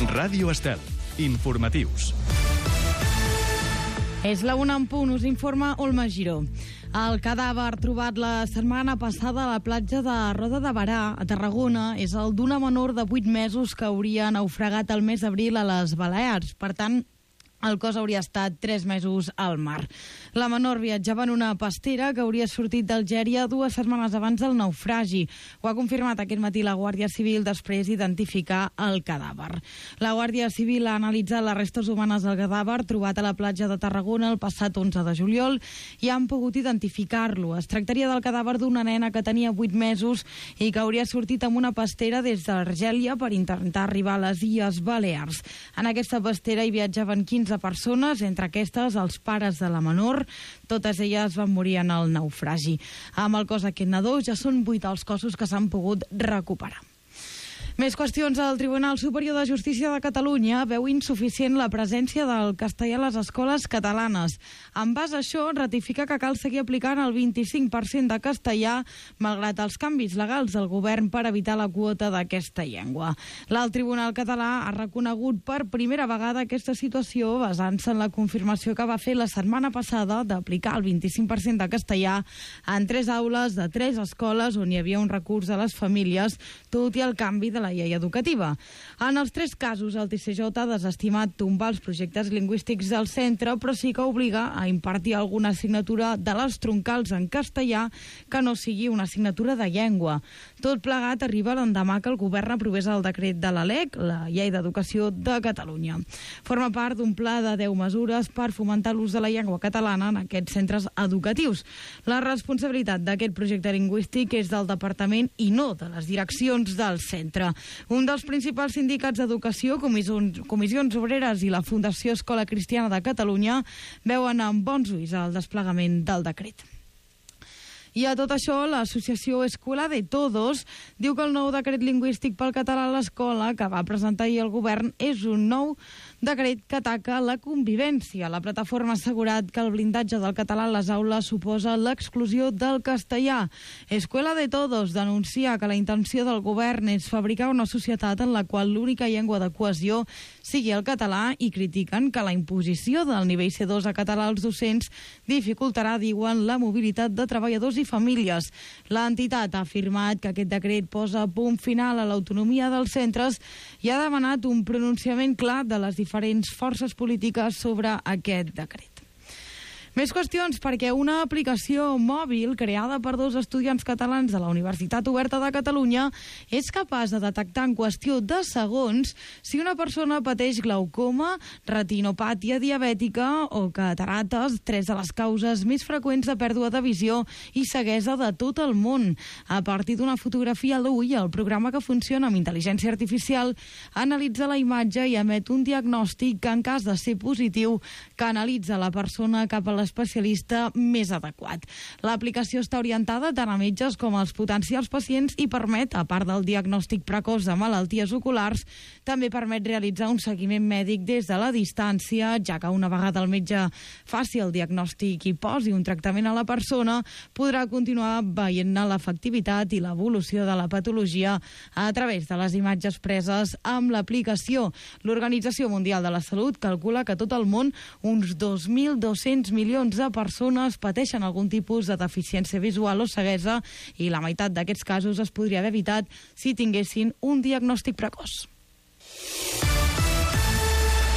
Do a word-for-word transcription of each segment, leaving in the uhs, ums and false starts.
Ràdio Estel. Informatius. És la una en punt, us informa Olma Giró. El cadàver trobat la setmana passada a la platja de Roda de Berà, a Tarragona, és el d'una menor de vuit mesos que hauria naufragat el mes d'abril a les Balears. Per tant, el cos hauria estat tres mesos al mar. La menor viatjava en una pastera que hauria sortit d'Algèria dues setmanes abans del naufragi. Ho ha confirmat aquest matí la Guàrdia Civil després d'identificar el cadàver. La Guàrdia Civil ha analitzat les restes humanes del cadàver trobat a la platja de Tarragona el passat onze de juliol i han pogut identificar-lo. Es tractaria del cadàver d'una nena que tenia vuit mesos i que hauria sortit amb una pastera des d'Argèlia per intentar arribar a les Illes Balears. En aquesta pastera hi viatjaven quinze persones, entre aquestes els pares de la menor. Totes elles van morir en el naufragi. Amb el cos d'aquest nadó ja són vuit els cossos que s'han pogut recuperar. Més qüestions. El Tribunal Superior de Justícia de Catalunya veu insuficient la presència del castellà a les escoles catalanes. En base a això, ratifica que cal seguir aplicant el vint-i-cinc per cent de castellà, malgrat els canvis legals del govern per evitar la quota d'aquesta llengua. L'Alt Tribunal Català ha reconegut per primera vegada aquesta situació basant-se en la confirmació que va fer la setmana passada d'aplicar el vint-i-cinc per cent de castellà en tres aules de tres escoles on hi havia un recurs de les famílies, tot i el canvi de la llei educativa. En els tres casos, el T C J ha desestimat tombar els projectes lingüístics del centre, però sí que obliga a impartir alguna assignatura de les troncals en castellà que no sigui una assignatura de llengua. Tot plegat arriba l'endemà que el govern aprovés el decret de la L E C, la Llei d'Educació de Catalunya. Forma part d'un pla de deu mesures per fomentar l'ús de la llengua catalana en aquests centres educatius. La responsabilitat d'aquest projecte lingüístic és del departament i no de les direccions del centre. Un dels principals sindicats d'educació, Comissions, Comissions Obreres i la Fundació Escola Cristiana de Catalunya, veuen amb bons ulls el desplegament del decret. I a tot això, l'associació Escuela de Todos diu que el nou decret lingüístic pel català a l'escola que va presentar ahir el govern és un nou decret que ataca la convivència. La plataforma ha assegurat que el blindatge del català a les aules suposa l'exclusió del castellà. Escuela de Todos denuncia que la intenció del govern és fabricar una societat en la qual l'única llengua de cohesió sigui el català i critiquen que la imposició del nivell C dos a català als docents dificultarà, diuen, la mobilitat de treballadors i famílies. L'entitat ha afirmat que aquest decret posa punt final a l'autonomia dels centres i ha demanat un pronunciament clar de les diferents forces polítiques sobre aquest decret. Més qüestions, perquè una aplicació mòbil creada per dos estudiants catalans de la Universitat Oberta de Catalunya és capaç de detectar en qüestió de segons si una persona pateix glaucoma, retinopàtia diabètica o catarates, tres de les causes més freqüents de pèrdua de visió i ceguesa de tot el món. A partir d'una fotografia a l'ull, el programa, que funciona amb intel·ligència artificial, analitza la imatge i emet un diagnòstic que, en cas de ser positiu, canalitza la persona cap a l'especialista més adequat. L'aplicació està orientada tant a metges com als potencials pacients i permet, a part del diagnòstic precoç de malalties oculars, també permet realitzar un seguiment mèdic des de la distància, ja que una vegada el metge faci el diagnòstic i posi un tractament a la persona, podrà continuar veient-ne l'efectivitat i l'evolució de la patologia a través de les imatges preses amb l'aplicació. L'Organització Mundial de la Salut calcula que a tot el món uns dos mil dos-cents milions de persones pateixen algun tipus de deficiència visual o ceguesa i la meitat d'aquests casos es podria haver evitat si tinguessin un diagnòstic precoç.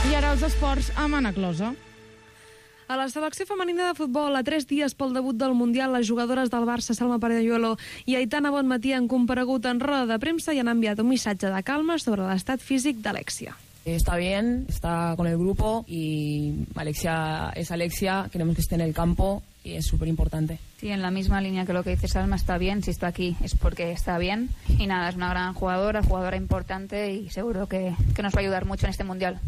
I ara els esports amb Anna Closa. A la selecció femenina de futbol, a tres dies pel debut del Mundial, les jugadores del Barça, Salma Parelluelo i Aitana Bonmatí, han comparegut en roda de premsa i han enviat un missatge de calma sobre l'estat físic d'Alexia. Está bien, está con el grupo y Alexia es Alexia, queremos que esté en el campo y es súper importante. Sí, en la misma línea que lo que dice Salma, está bien, si está aquí es porque está bien y nada, es una gran jugadora, jugadora importante y seguro que, que nos va a ayudar mucho en este Mundial.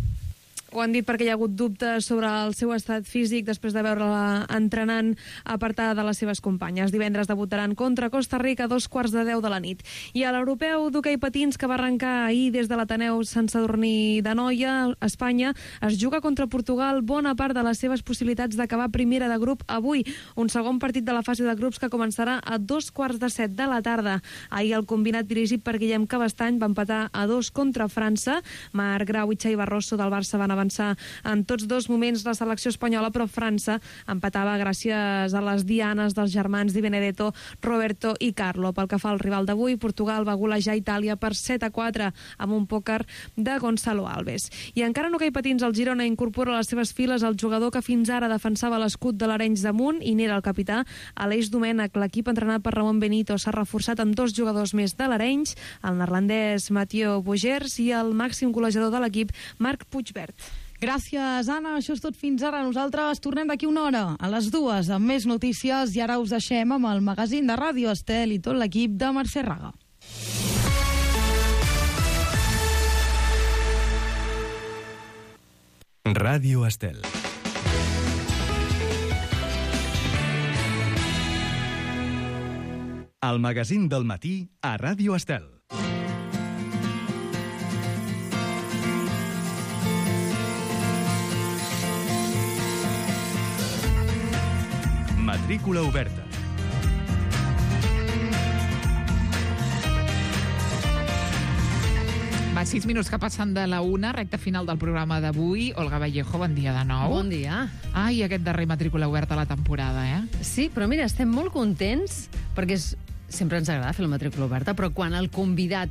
Ho han dit perquè hi ha hagut dubtes sobre el seu estat físic després de veure-la entrenant apartada de les seves companyes. Divendres debutaran contra Costa Rica a dos quarts de deu de la nit. I a l'europeu d'hoquei patins, que va arrencar ahir des de l'Ateneu Sant Sadurní d'Anoia, a Espanya, es juga contra Portugal bona part de les seves possibilitats d'acabar primera de grup avui. Un segon partit de la fase de grups que començarà a dos quarts de set de la tarda. Ahir el combinat dirigit per Guillem Cabestany va empatar a dos contra França. Marc Grau i Xavi Barroso del Barça van avançar en tots dos moments la selecció espanyola, però França empatava gràcies a les dianes dels germans Di Benedetto, Roberto i Carlo. Pel que fa al rival d'avui, Portugal va golejar Itàlia per set a quatre amb un pòquer de Gonzalo Alves. I encara no que hi patins, el Girona incorpora a les seves files el jugador que fins ara defensava l'escut de l'Arenys de Munt i n'era el capità, Aleix Domènech. L'equip entrenat per Ramon Benito s'ha reforçat amb dos jugadors més de l'Arenys, el neerlandès Mathieu Bogers i el màxim golejador de l'equip, Marc Puigvert. Gràcies, Anna. Això és tot fins ara. Nosaltres tornem d'aquí una hora, a les dues, amb més notícies, i ara us deixem amb el magazín de Ràdio Estel i tot l'equip de Mercè Raga. Ràdio Estel. El magazín del matí a Ràdio Estel. Matrícula oberta. Va, sis minuts que passen de la una, recta final del programa d'avui. Olga Vallejo, bon dia de nou. Bon dia. Ai, aquest darrer matrícula oberta a la temporada, eh? Sí, però mira, estem molt contents perquè és, sempre ens agrada fer la matrícula oberta, però quan el convidat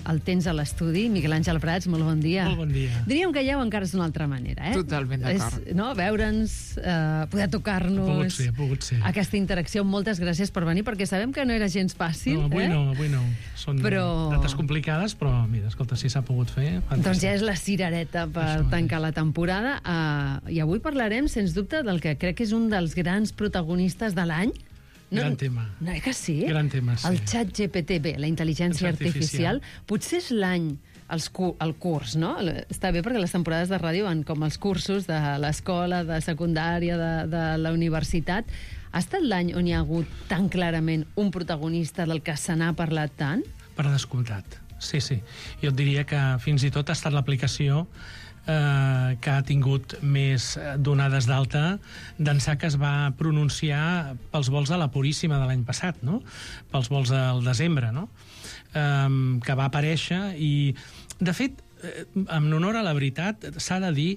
el tens a l'estudi, Miquel Àngel Prats, molt bon dia. Molt bon dia. Diríem que ja ho encara és d'una altra manera, eh? Totalment d'acord. És, no, veure'ns, eh, poder tocar-nos... Ha pogut ser, ha pogut ser. Aquesta interacció, moltes gràcies per venir, perquè sabem que no era gens fàcil. No, avui eh? no, avui no. Són però... dates complicades, però mira, escolta, si s'ha pogut fer... Fantàstic. Doncs ja és la cirereta per Això tancar la temporada. Uh, I avui parlarem, sens dubte, del que crec que és un dels grans protagonistes de l'any. No, Gran tema. No, eh que sí? Gran tema, sí. El xat G P T, bé, la intel·ligència artificial. artificial. Potser és l'any, els cu el curs, no? Està bé perquè les temporades de ràdio van com els cursos de l'escola, de secundària, de, de la universitat. Ha estat l'any on hi ha hagut tan clarament un protagonista del que se n'ha parlat tant? Per descomptat, sí, sí. Jo et diria que fins i tot ha estat l'aplicació Eh, que ha tingut més donades d'alta d'ençà que es va pronunciar pels vols de la Puríssima de l'any passat, no? Pels vols del desembre, no? Eh, que va aparèixer i, de fet, eh, en honor a la veritat, s'ha de dir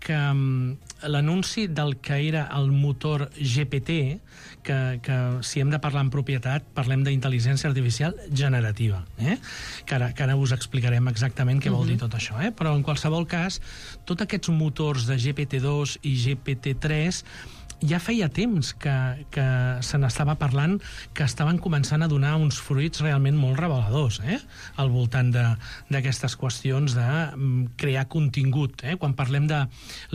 que um, l'anunci del que era el motor G P T, que, que si hem de parlar en propietat, parlem d'intel·ligència artificial generativa, eh? que, ara, que ara us explicarem exactament què vol dir tot això. Eh? Però en qualsevol cas, tots aquests motors de G P T dos i G P T tres ja feia temps que, que se n'estava parlant, que estaven començant a donar uns fruits realment molt reveladors, eh? al voltant d'aquestes qüestions de crear contingut. Eh? Quan parlem de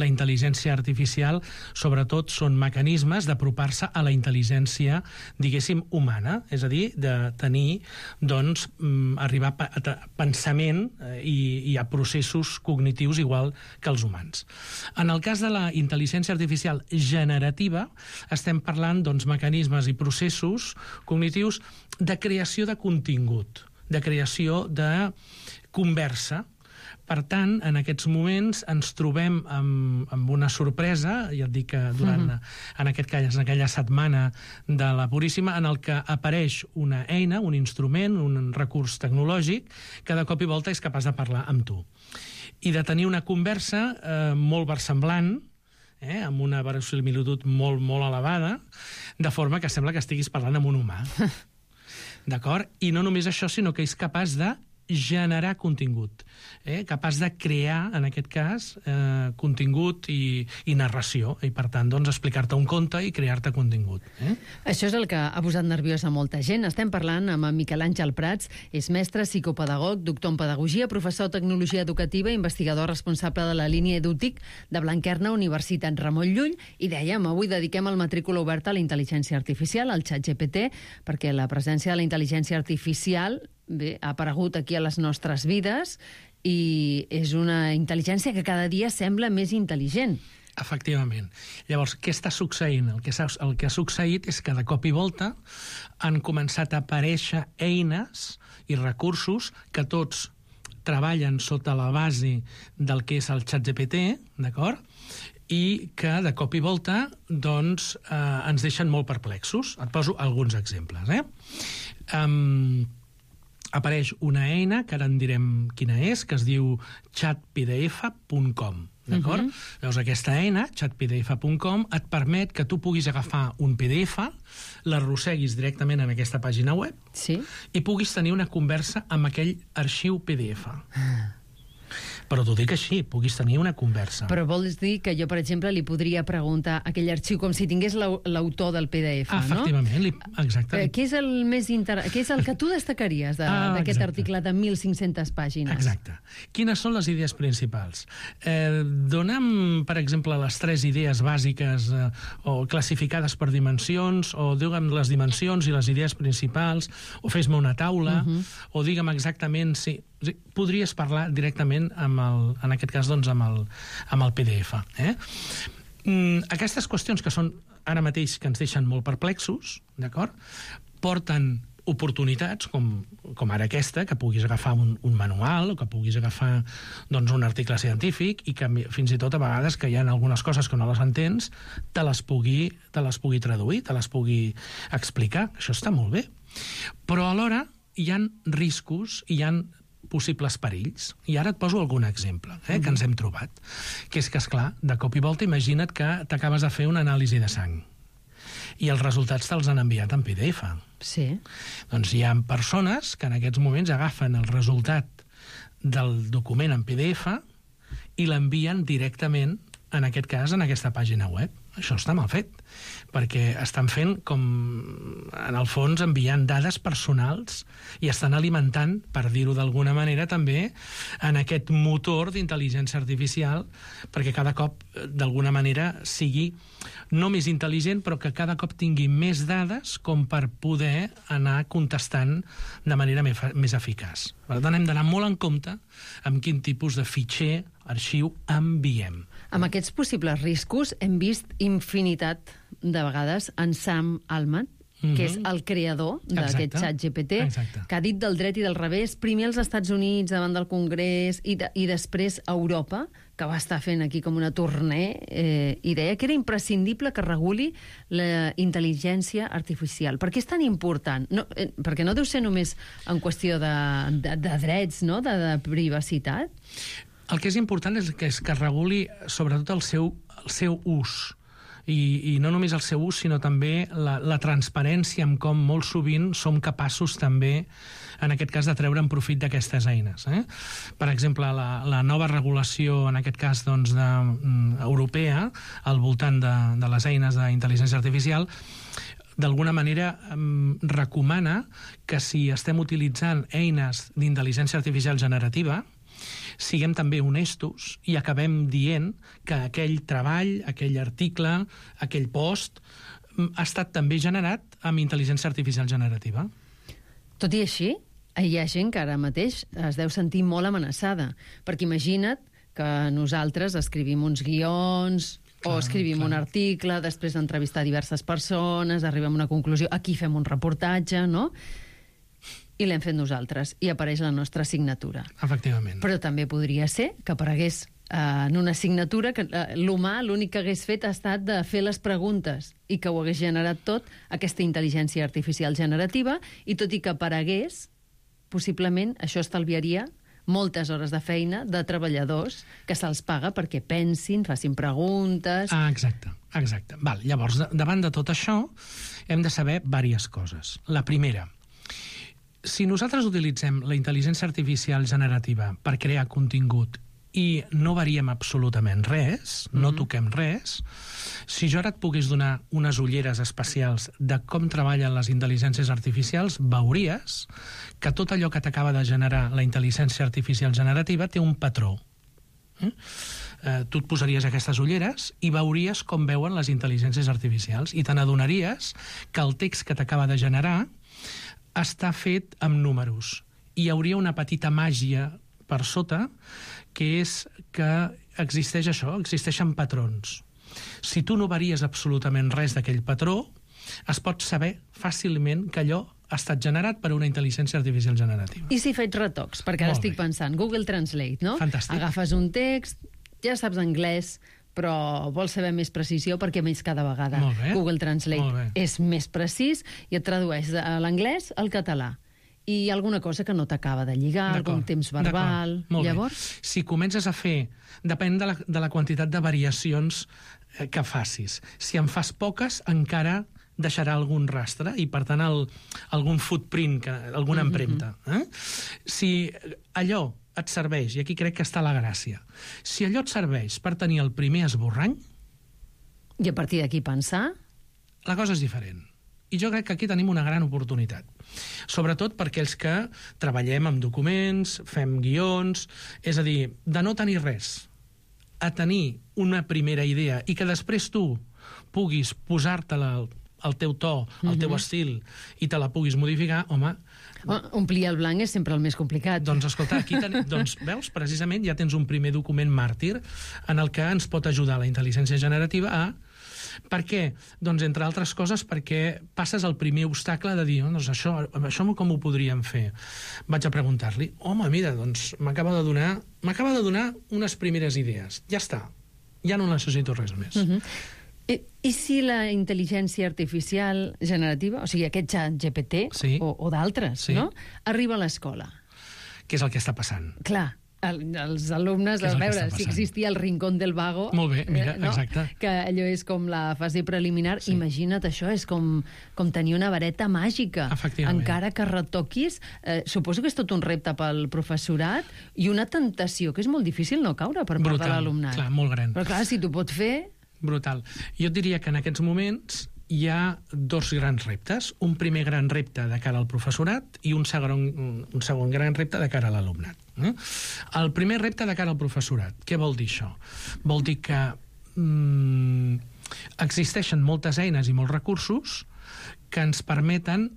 la intel·ligència artificial, sobretot són mecanismes d'apropar-se a la intel·ligència, diguéssim, humana, és a dir, de tenir, doncs, arribar a pensament i, i a processos cognitius igual que els humans. En el cas de la intel·ligència artificial generativa, estem parlant doncs, mecanismes i processos cognitius de creació de contingut, de creació de conversa. Per tant, en aquests moments ens trobem amb, amb una sorpresa, ja et dic que durant, uh-huh. en aquest cas, en aquella setmana de la Puríssima, en el que apareix una eina, un instrument, un recurs tecnològic, que de cop i volta és capaç de parlar amb tu. I de tenir una conversa eh, molt versemblant, Eh, amb una verosimilitud molt, molt elevada, de forma que sembla que estiguis parlant amb un humà. D'acord? I no només això, sinó que és capaç de generar contingut, eh? capaç de crear, en aquest cas, eh, contingut i, i narració, i per tant, doncs, explicar-te un conte i crear-te contingut. Eh? Això és el que ha posat nerviós a molta gent. Estem parlant amb en Miquel Àngel Prats, és mestre, psicopedagog, doctor en pedagogia, professor de tecnologia educativa, investigador responsable de la línia EduTIC de Blanquerna, Universitat Ramon Llull, i dèiem, avui dediquem el matrícula oberta a la intel·ligència artificial, al xat G P T, perquè la presència de la intel·ligència artificial bé, ha aparegut aquí a les nostres vides i és una intel·ligència que cada dia sembla més intel·ligent. Efectivament. Llavors, què està succeint? El que, el que ha succeït és que de cop i volta han començat a aparèixer eines i recursos que tots treballen sota la base del que és el ChatGPT, d'acord? I que de cop i volta doncs, eh, ens deixen molt perplexos. Et poso alguns exemples. Eh? Um, apareix una eina, que ara en direm quina és, que es diu chat p d f punt com. D'acord? Uh-huh. Llavors, aquesta eina, chat p d f punt com, et permet que tu puguis agafar un P D F, l'arrosseguis directament en aquesta pàgina web, sí, i puguis tenir una conversa amb aquell arxiu P D F. Però t'ho dic així, puguis tenir una conversa. Però vols dir que jo, per exemple, li podria preguntar aquell arxiu com si tingués l'autor del P D F, ah, no? Efectivament, li, exacte. Eh, què és el més inter... què és el que tu destacaries d'aquest ah, article de mil cinc-centes pàgines? Exacte. Quines són les idees principals? Eh, dona'm, per exemple, les tres idees bàsiques eh, o classificades per dimensions, o digue'm les dimensions i les idees principals, o fes-me una taula, uh-huh. o digue'm exactament si... Podries parlar directament, amb el, en aquest cas, doncs, amb, el, amb el P D F. Eh? Mm, aquestes qüestions que són ara mateix que ens deixen molt perplexos, d'acord? Porten oportunitats, com, com ara aquesta, que puguis agafar un, un manual, o que puguis agafar doncs, un article científic, i que fins i tot a vegades que hi ha algunes coses que no les entens, te les pugui, te les pugui traduir, te les pugui explicar. Això està molt bé. Però alhora hi ha riscos, hi ha possibles perills. I ara et poso algun exemple eh, que ens hem trobat. Que és que, esclar, de cop i volta, imagina't que t'acabes de fer una anàlisi de sang i els resultats te'ls han enviat en P D F. Sí. Doncs hi ha persones que en aquests moments agafen el resultat del document en P D F i l'envien directament, en aquest cas, en aquesta pàgina web. Això està mal fet, perquè estan fent com, en el fons, enviant dades personals i estan alimentant, per dir-ho d'alguna manera, també en aquest motor d'intel·ligència artificial, perquè cada cop, d'alguna manera, sigui no més intel·ligent, però que cada cop tingui més dades com per poder anar contestant de manera més, més eficaç. Per tant, hem d'anar molt en compte amb quin tipus de fitxer, arxiu, enviem. Amb aquests possibles riscos hem vist infinitat de vegades en Sam Altman, mm-hmm. que és el creador d'aquest ChatGPT, que ha dit del dret i del revés, primer als Estats Units davant del Congrés i, de, i després a Europa, que va estar fent aquí com una tournée, eh, i deia que era imprescindible que reguli la intel·ligència artificial. Per què és tan important? No, eh, perquè no deu ser només en qüestió de, de, de drets, no? de, de privacitat? El que és important és que es, que es reguli sobretot el seu, el seu ús. I, i no només el seu ús, sinó també la, la transparència amb com molt sovint som capaços també, en aquest cas, de treure en profit d'aquestes eines. Eh? Per exemple, la, la nova regulació, en aquest cas, doncs, de, um, europea, al voltant de, de les eines d'intel·ligència artificial, d'alguna manera um, recomana que si estem utilitzant eines d'intel·ligència artificial generativa, siguem també honestos i acabem dient que aquell treball, aquell article, aquell post ha estat també generat amb intel·ligència artificial generativa. Tot i així, hi ha gent que ara mateix es deu sentir molt amenaçada, perquè imagina't que nosaltres escrivim uns guions clar, o escrivim clar. un article, després d'entrevistar diverses persones, arribem a una conclusió, aquí fem un reportatge, no?, i l'hem fet nosaltres, i apareix la nostra signatura. Efectivament. Però també podria ser que aparegués eh, en una signatura que eh, l'humà l'únic que hagués fet ha estat de fer les preguntes i que ho hagués generat tot, aquesta intel·ligència artificial generativa, i tot i que aparegués, possiblement això estalviaria moltes hores de feina de treballadors que se'ls paga perquè pensin, facin preguntes... Ah, exacte, exacte. Val, llavors, davant de tot això, hem de saber diverses coses. La primera, si nosaltres utilitzem la intel·ligència artificial generativa per crear contingut i no variem absolutament res, mm-hmm. no toquem res, si jo ara et pogués donar unes ulleres especials de com treballen les intel·ligències artificials, veuries que tot allò que t'acaba de generar la intel·ligència artificial generativa té un patró. Eh? Eh, tu et posaries aquestes ulleres i veuries com veuen les intel·ligències artificials i te n'adonaries que el text que t'acaba de generar està fet amb números i hi hauria una petita màgia per sota, que és que existeix això, existeixen patrons. Si tu no varies absolutament res d'aquell patró, es pot saber fàcilment que allò ha estat generat per una intel·ligència artificial generativa. I si faig retocs? Perquè ara Molt estic bé. pensant, Google Translate, no? Fantàstic. Agafes un text, ja saps anglès, però vols saber més precisió perquè més cada vegada Molt bé. Google Molt Translate bé. és més precís i et tradueix de l'anglès al català. I alguna cosa que no t'acaba de lligar, algun D'acord, temps verbal... d'acord. Molt bé. Llavors, Si comences a fer... Depèn de la, de la quantitat de variacions eh, que facis. Si en fas poques, encara deixarà algun rastre i, per tant, el, algun footprint, que, alguna empremta. Eh? Si allò et serveix, i aquí crec que està la gràcia, si allò et serveix per tenir el primer esborrany, i a partir d'aquí pensar... la cosa és diferent. I jo crec que aquí tenim una gran oportunitat. Sobretot per aquells que treballem amb documents, fem guions, és a dir, de no tenir res, a tenir una primera idea i que després tu puguis posar-te-la al teu to, al teu estil, i te la puguis modificar, home... Omplir el blanc és sempre el més complicat. Doncs escolta, aquí ten... doncs, veus, precisament ja tens un primer document màrtir en el que ens pot ajudar la intel·ligència generativa a... Per què? Doncs, entre altres coses, perquè passes el primer obstacle de dir, oh, doncs això, això com ho podríem fer? Vaig a preguntar-li, home, mira, doncs m'acaba de donar m'acaba de donar unes primeres idees. Ja està. Ja no necessito res més. Uh-huh. I, I si la intel·ligència artificial generativa, o sigui, aquest xat G P T Sí. o, o d'altres, Sí. no? Arriba a l'escola. Què és el que està passant? Clar, el, els alumnes, Què és a el que veure, està si passant? existia el rincón del vago... Molt bé, mira, eh, no? exacte. Que allò és com la fase preliminar. Sí. Imagina't això, és com, com tenir una vareta màgica. Efectivament. Encara que retoquis, eh, suposo que és tot un repte pel professorat i una tentació que és molt difícil no caure per part Brutal, de l'alumnat. clar, molt gran. Però clar, si t'ho pot fer... Brutal. Jo et diria que en aquests moments hi ha dos grans reptes. Un primer gran repte de cara al professorat i un segon, un segon gran repte de cara a l'alumnat. Eh? El primer repte de cara al professorat. Què vol dir això? Vol dir que mm, existeixen moltes eines i molts recursos que ens permeten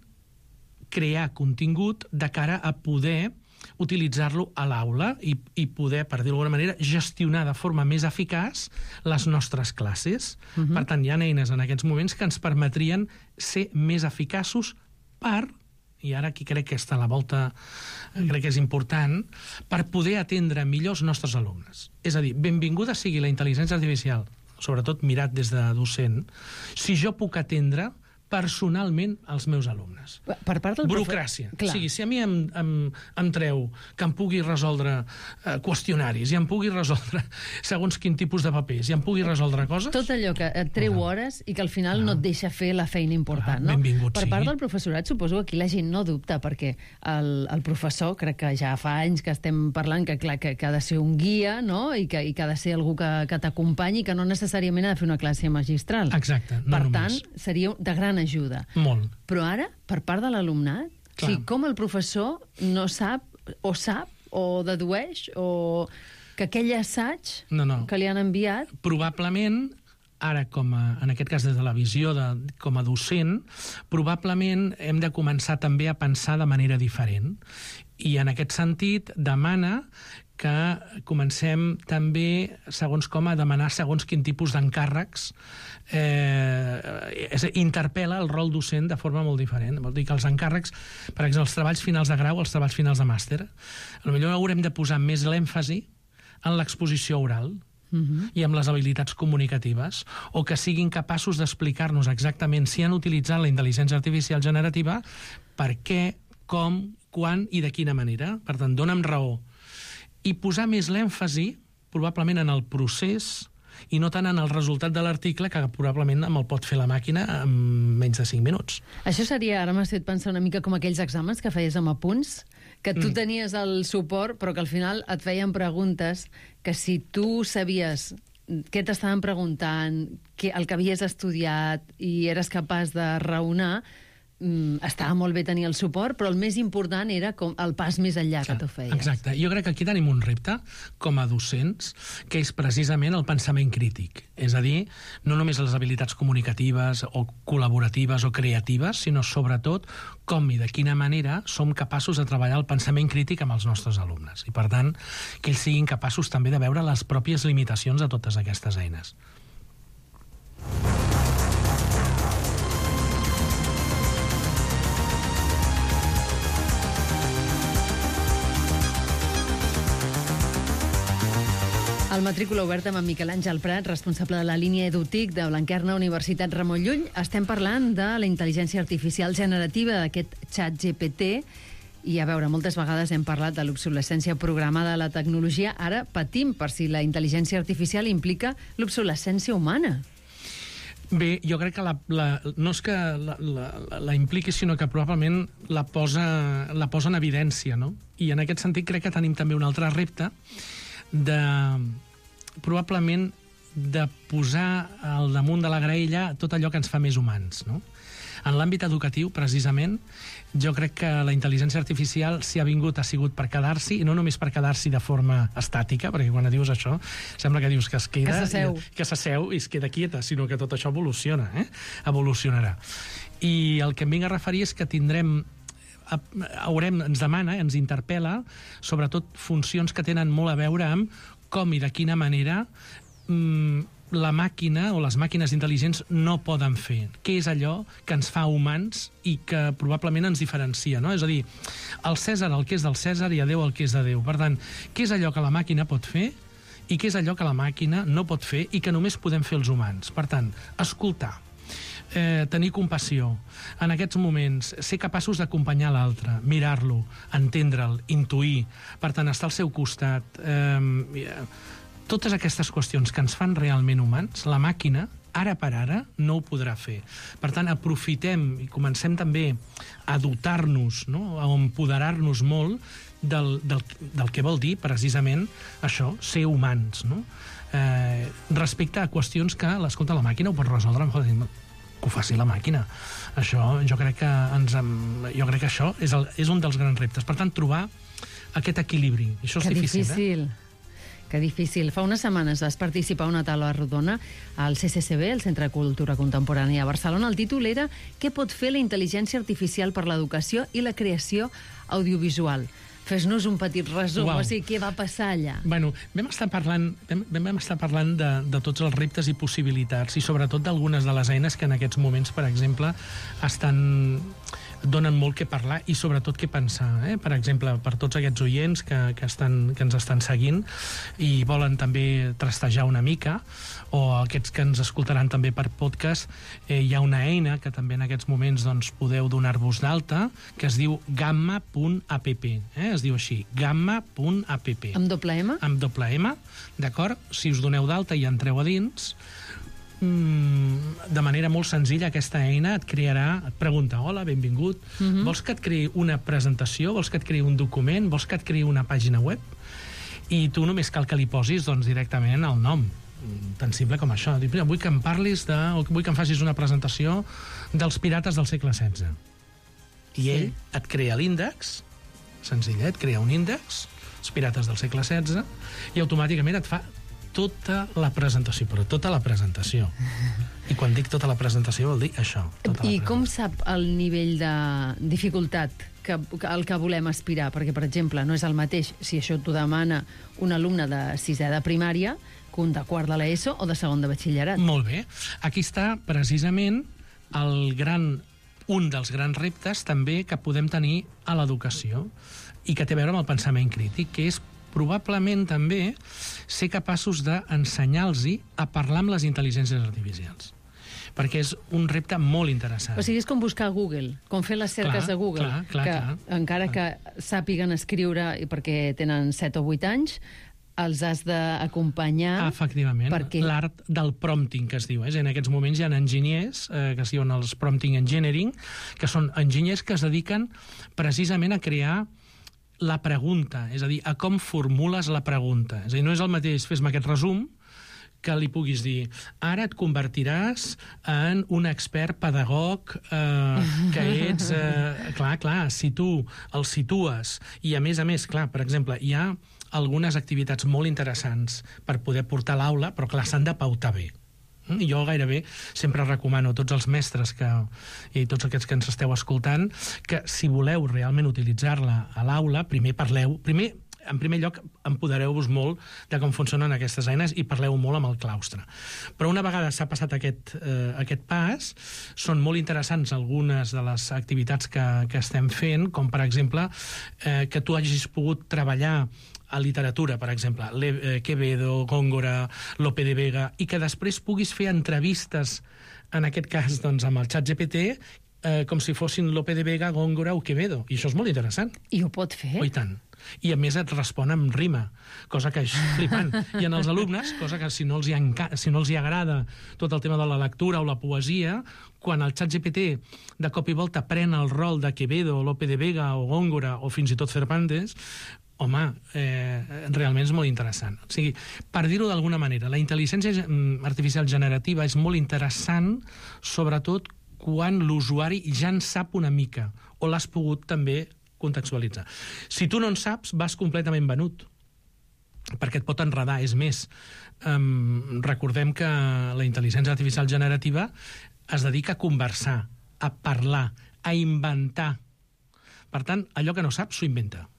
crear contingut de cara a poder utilitzar-lo a l'aula i, i poder, per dir-ho d'alguna manera, gestionar de forma més eficaç les nostres classes. Uh-huh. Per tant, hi ha eines en aquests moments que ens permetrien ser més eficaços per, i ara aquí crec que està a la volta, crec que és important, per poder atendre millor els nostres alumnes. És a dir, benvinguda sigui la intel·ligència artificial, sobretot mirat des de docent, si jo puc atendre personalment als meus alumnes. Per part del Burocràcia. Profe... O sigui, si a mi em, em, em treu que em pugui resoldre eh, qüestionaris i em pugui resoldre segons quin tipus de papers i em pugui resoldre coses... Tot allò que et treu Ah. hores i que al final Ah. no et deixa fer la feina important, Ah, no? benvingut Per sigui. part del professorat, suposo que aquí la gent no dubta, perquè el, el professor, crec que ja fa anys que estem parlant que, clar, que, que ha de ser un guia, no?, i que, i que ha de ser algú que, que t'acompanyi, que no necessàriament ha de fer una classe magistral. Exacte, no Per només. tant, seria de gran ajuda. Molt. Però ara, per part de l'alumnat, o Clar. sigui, com el professor no sap, o sap, o dedueix, o que aquell assaig No, no. que li han enviat... Probablement, ara, com a, en aquest cas des de la visió de, com a docent, probablement hem de començar també a pensar de manera diferent. I en aquest sentit demana que comencem també, segons com, a demanar segons quin tipus d'encàrrecs, eh, és a dir, interpel·la el rol docent de forma molt diferent. Vol dir que els encàrrecs, per exemple, els treballs finals de grau, els treballs finals de màster, potser haurem de posar més l'èmfasi en l'exposició oral, Uh-huh. i amb les habilitats comunicatives, o que siguin capaços d'explicar-nos exactament si han utilitzat la intel·ligència artificial generativa, per què, com, quan i de quina manera. Per tant, dona'm raó. I posar més l'èmfasi, probablement, en el procés i no tant en el resultat de l'article, que probablement me'l pot fer la màquina en menys de cinc minuts. Això seria, ara m'has fet pensar una mica com aquells exàmens que feies amb apunts, que tu Mm. tenies el suport, però que al final et feien preguntes que si tu sabies què t'estaven preguntant, que, el que havies estudiat i eres capaç de raonar, mm, estava molt bé tenir el suport, però el més important era com el pas més enllà que tu feies. Exacte. Jo crec que aquí tenim un repte com a docents, que és precisament el pensament crític. És a dir, no només les habilitats comunicatives o col·laboratives o creatives, sinó sobretot com i de quina manera som capaços de treballar el pensament crític amb els nostres alumnes. I, per tant, que ells siguin capaços també de veure les pròpies limitacions de totes aquestes eines. El matrícula oberta amb en Miquel Àngel Prat, responsable de la línia EduTIC de Blanquerna, Universitat Ramon Llull. Estem parlant de la intel·ligència artificial generativa d'aquest xat G P T. I, a veure, moltes vegades hem parlat de l'obsolescència programada de la tecnologia. Ara patim per si la intel·ligència artificial implica l'obsolescència humana. Bé, jo crec que la, la, no és que la, la, la impliqui, sinó que probablement la posa, la posa en evidència, no? I en aquest sentit crec que tenim també un altre repte de, probablement, de posar al damunt de la graella tot allò que ens fa més humans, no? En l'àmbit educatiu, precisament, jo crec que la intel·ligència artificial, si ha vingut, ha sigut per quedar-s'hi, i no només per quedar-s'hi de forma estàtica, perquè quan dius això, sembla que dius que es queda... Que s'asseu. I, que s'asseu i es queda quieta, sinó que tot això evoluciona, eh? Evolucionarà. I el que em vinc a referir és que tindrem haurem, ens demana, ens interpel·la, sobretot funcions que tenen molt a veure amb com i de quina manera mmm, la màquina o les màquines intel·ligents no poden fer. Què és allò que ens fa humans i que probablement ens diferencia, no? És a dir, el Cèsar el que és del Cèsar i a Déu el que és de Déu. Per tant, què és allò que la màquina pot fer i què és allò que la màquina no pot fer i que només podem fer els humans? Per tant, escoltar, Eh, tenir compassió, en aquests moments ser capaços d'acompanyar l'altre, mirar-lo, entendre'l, intuir, per tant, estar al seu costat, eh, totes aquestes qüestions que ens fan realment humans, la màquina, ara per ara, no ho podrà fer. Per tant, aprofitem i comencem també a dotar-nos, no? A empoderar-nos molt del, del, del que vol dir, precisament, això, ser humans, no? Eh, respecte a qüestions que, l'escolta, la màquina ho pot resoldre, que ho faci la màquina. Això, jo crec que ens, jo crec que això és, el, és un dels grans reptes. Per tant, trobar aquest equilibri. Això és que difícil, difícil. Eh? Que difícil. Fa unes setmanes vas participar a una taula rodona al C C C B, el Centre de Cultura Contemporània a Barcelona. El títol era «Què pot fer la intel·ligència artificial per l'educació i la creació audiovisual?» Fes-nos un petit resum, Uau. O sigui, què va passar allà? Bueno, vam estar parlant, vam, vam estar parlant de, de tots els reptes i possibilitats i sobretot d'algunes de les eines que en aquests moments, per exemple, estan donen molt que parlar i sobretot què pensar, eh? Per exemple, per tots aquests oients que, que, estan, que ens estan seguint i volen també trastejar una mica, o aquests que ens escoltaran també per podcast, eh, hi ha una eina que també en aquests moments doncs, podeu donar-vos d'alta, que es diu gamma punt app, eh? Es diu així, gamma punt app. Amb doble M? Amb doble M, d'acord? Si us doneu d'alta i entreu a dins, de manera molt senzilla aquesta eina et crearà, et pregunta, hola, benvingut, uh-huh. Vols que et creï una presentació, vols que et creï un document, vols que et creï una pàgina web? I tu només cal que li posis doncs, directament el nom, tan simple com això. Dic, vull que em parlis de, o vull que em facis una presentació dels pirates del segle setze. I ell sí. Et crea l'índex, senzillet, et crea un índex, els pirates del segle setze, i automàticament et fa tota la presentació, però tota la presentació. I quan dic tota la presentació vol dir això. Tota I com sap el nivell de dificultat que, que el que volem aspirar? Perquè, per exemple, no és el mateix si això t'ho demana un alumne de sisè de primària que un de quart de l'ESO o de segon de batxillerat. Molt bé. Aquí està precisament el gran, un dels grans reptes també que podem tenir a l'educació i que té a veure amb el pensament crític, que és probablement també ser capaços d'ensenyar-los a parlar amb les intel·ligències artificials. Perquè és un repte molt interessant. O sigui, és com buscar a Google, com fer les cerques clar, de Google, clar, clar, que clar, encara clar. que sàpiguen escriure perquè tenen set o vuit anys, els has d'acompanyar... Efectivament, perquè... l'art del prompting, que es diu. És? En aquests moments hi ha enginyers, eh, que es diuen els prompting engineering, que són enginyers que es dediquen precisament a crear la pregunta, és a dir, a com formules la pregunta. És a dir, no és el mateix fes-me aquest resum que li puguis dir ara et convertiràs en un expert pedagog eh, que ets... Eh, clar, clar, si tu el situes i, a més a més, clar, per exemple, hi ha algunes activitats molt interessants per poder portar a l'aula, però clar, s'han de pautar bé. Jo gairebé sempre recomano a tots els mestres que, i tots aquests que ens esteu escoltant que si voleu realment utilitzar-la a l'aula, primer parleu, primer, en primer lloc, empodereu-vos molt de com funcionen aquestes eines i parleu molt amb el claustre. Però una vegada s'ha passat aquest, eh, aquest pas, són molt interessants algunes de les activitats que, que estem fent, com per exemple eh, que tu hagis pogut treballar a literatura, per exemple, Le, eh, Quevedo, Góngora, Lope de Vega, i que després puguis fer entrevistes, en aquest cas, doncs, amb el xat G P T, eh, com si fossin Lope de Vega, Góngora o Quevedo. I això és molt interessant. I ho pot fer? Oh, i tant. I a més et respon amb rima, cosa que és flipant. I en els alumnes, cosa que si no els hi, enca... si no els hi agrada tot el tema de la lectura o la poesia, quan el xat G P T de cop i volta pren el rol de Quevedo, Lope de Vega o Góngora o fins i tot Cervantes, home, eh, realment és molt interessant. O sigui, per dir-ho d'alguna manera, la intel·ligència artificial generativa és molt interessant, sobretot quan l'usuari ja en sap una mica, o l'has pogut també contextualitzar. Si tu no en saps, vas completament venut, perquè et pot enredar. És més, um, recordem que la intel·ligència artificial generativa es dedica a conversar, a parlar, a inventar. Per tant, allò que no saps, s'ho inventa.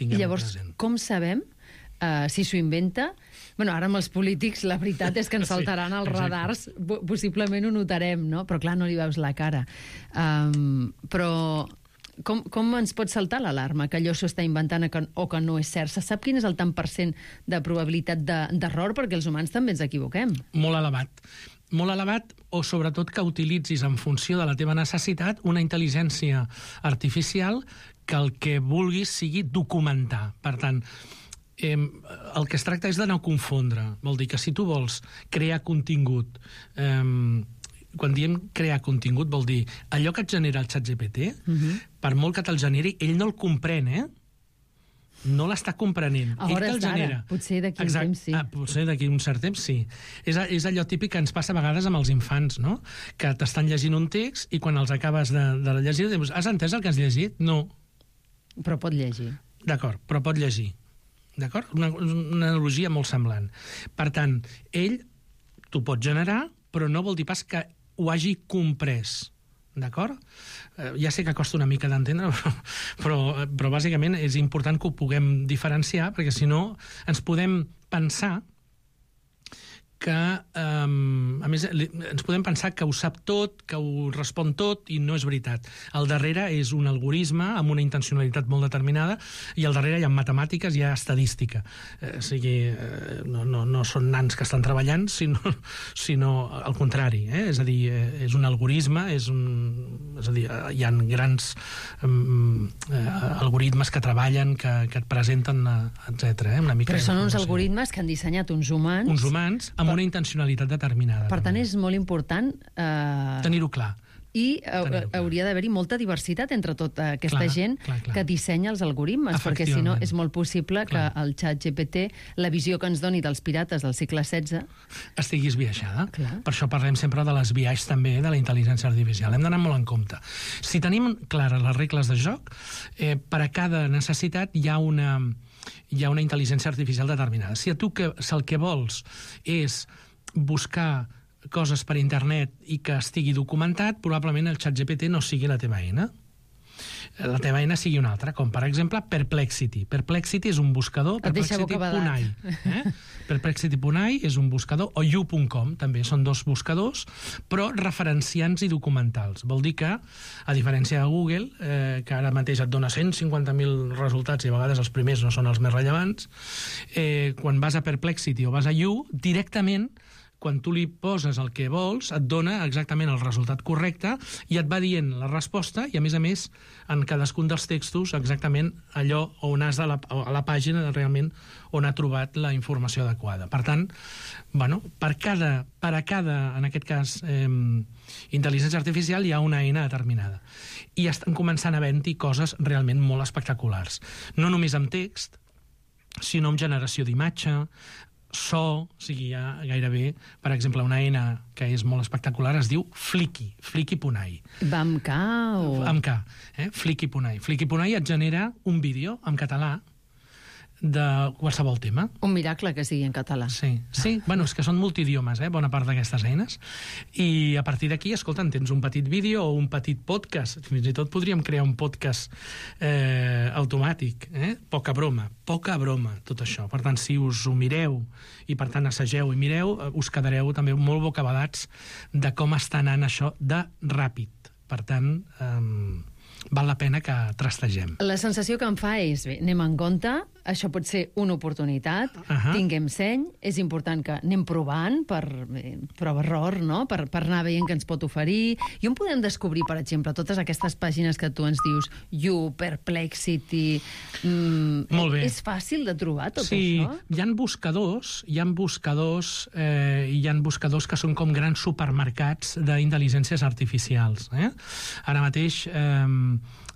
I llavors, com sabem uh, si s'ho inventa? Bueno, ara amb els polítics la veritat és que ens saltaran els radars, possiblement ho notarem, no? Però clar, no li veus la cara. Um, però com, com ens pot saltar l'alarma que allò s'ho està inventant o que no és cert? Se sap quin és el tant per cent de probabilitat d'error? Perquè els humans també ens equivoquem. Molt elevat. Molt elevat, o sobretot que utilitzis en funció de la teva necessitat una intel·ligència artificial que el que vulguis sigui documentar. Per tant, eh, el que es tracta és de no confondre. Vol dir que si tu vols crear contingut, eh, quan diem crear contingut vol dir allò que et genera el xat G P T, uh-huh. per molt que te'l generi, ell no el comprèn, eh? No l'està comprenent. A hores d'ara, potser d'aquí un temps sí. Ah, potser d'aquí un cert temps sí. És, és allò típic que ens passa a vegades amb els infants, no? Que t'estan llegint un text i quan els acabes de, de llegir dius, has entès el que has llegit? No. Però pot llegir. D'acord, però pot llegir. D'acord? Una, una analogia molt semblant. Per tant, ell t'ho pot generar, però no vol dir pas que ho hagi comprès. D'acord? Eh, ja sé que costa una mica d'entendre, però, però, però bàsicament és important que ho puguem diferenciar, perquè si no ens podem pensar que, um, a més, ens podem pensar que ho sap tot, que ho respon tot, i no és veritat. Al darrere és un algoritme amb una intencionalitat molt determinada, i al darrere hi ha matemàtiques, hi ha estadística. Eh, o sigui, eh, no, no, no són nans que estan treballant, sinó, sinó al contrari. Eh? És a dir, eh, és un algoritme, és, un, és a dir, hi ha grans um, eh, algoritmes que treballen, que, que et presenten, etcètera. Eh? Una mica Però són uns algoritmes que han dissenyat uns humans... Uns humans, amb una intencionalitat determinada. Per tant, és molt important... Eh... tenir-ho clar. I hauria d'haver-hi molta diversitat entre tota aquesta clar, gent clar, clar. que dissenya els algoritmes, perquè si no és molt possible clar. que el xat G P T, la visió que ens doni dels pirates del segle setze... estigui esbiaixada. Clar. Per això parlem sempre de l'esbiaix també de la intel·ligència artificial. Hem d'anar molt en compte. Si tenim clares les regles de joc, eh, per a cada necessitat hi ha una... hi ha una intel·ligència artificial determinada. Si a tu que, si el que vols és buscar coses per internet i que estigui documentat, probablement el xat G P T no sigui la teva eina. La teva eina sigui una altra, com per exemple Perplexity. Perplexity és un buscador, perplexity punt a i. Eh? perplexity punt a i és un buscador, o you punt com, també són dos buscadors, però referenciants i documentals. Vol dir que, a diferència de Google, eh, que ara mateix et dona cent cinquanta mil resultats i a vegades els primers no són els més rellevants, eh, quan vas a Perplexity o vas a You, directament quan tu li poses el que vols, et dona exactament el resultat correcte i et va dient la resposta i, a més a més, en cadascun dels textos exactament allò on has de la, a la pàgina realment on ha trobat la informació adequada. Per tant, bueno, per, cada, per a cada, en aquest cas, eh, intel·ligència artificial hi ha una eina determinada. I estan començant a haver-hi coses realment molt espectaculars. No només amb text, sinó amb generació d'imatge, so, o sigui, ja gairebé, per exemple, una N que és molt espectacular es diu Flicky, flicky punt ai. Va amb K o...? Amb K, eh? flicky punt ai. Flicky punt ai et genera un vídeo en català de qualsevol tema. Un miracle que sigui en català. Sí, sí. Bueno, és que són multidiomes, eh, bona part d'aquestes eines. I a partir d'aquí, escolta, tens un petit vídeo o un petit podcast. Fins i tot podríem crear un podcast eh, automàtic. Eh? Poca broma, poca broma, tot això. Per tant, si us ho mireu i, per tant, assageu i mireu, us quedareu també molt bocabadats de com està anant això de ràpid. Per tant, eh, val la pena que trastegem. La sensació que em fa és, bé, anem en compte, això pot ser una oportunitat, Ahà. tinguem seny, és important que anem provant per eh, prova-error, no? per, per anar veient què ens pot oferir. I on podem descobrir, per exemple, totes aquestes pàgines que tu ens dius, You, Perplexity... Mm, Molt bé. És fàcil de trobar tot sí, això? hi ha buscadors, hi ha buscadors, eh, hi ha buscadors que són com grans supermercats d'intel·ligències artificials. Eh? Ara mateix eh,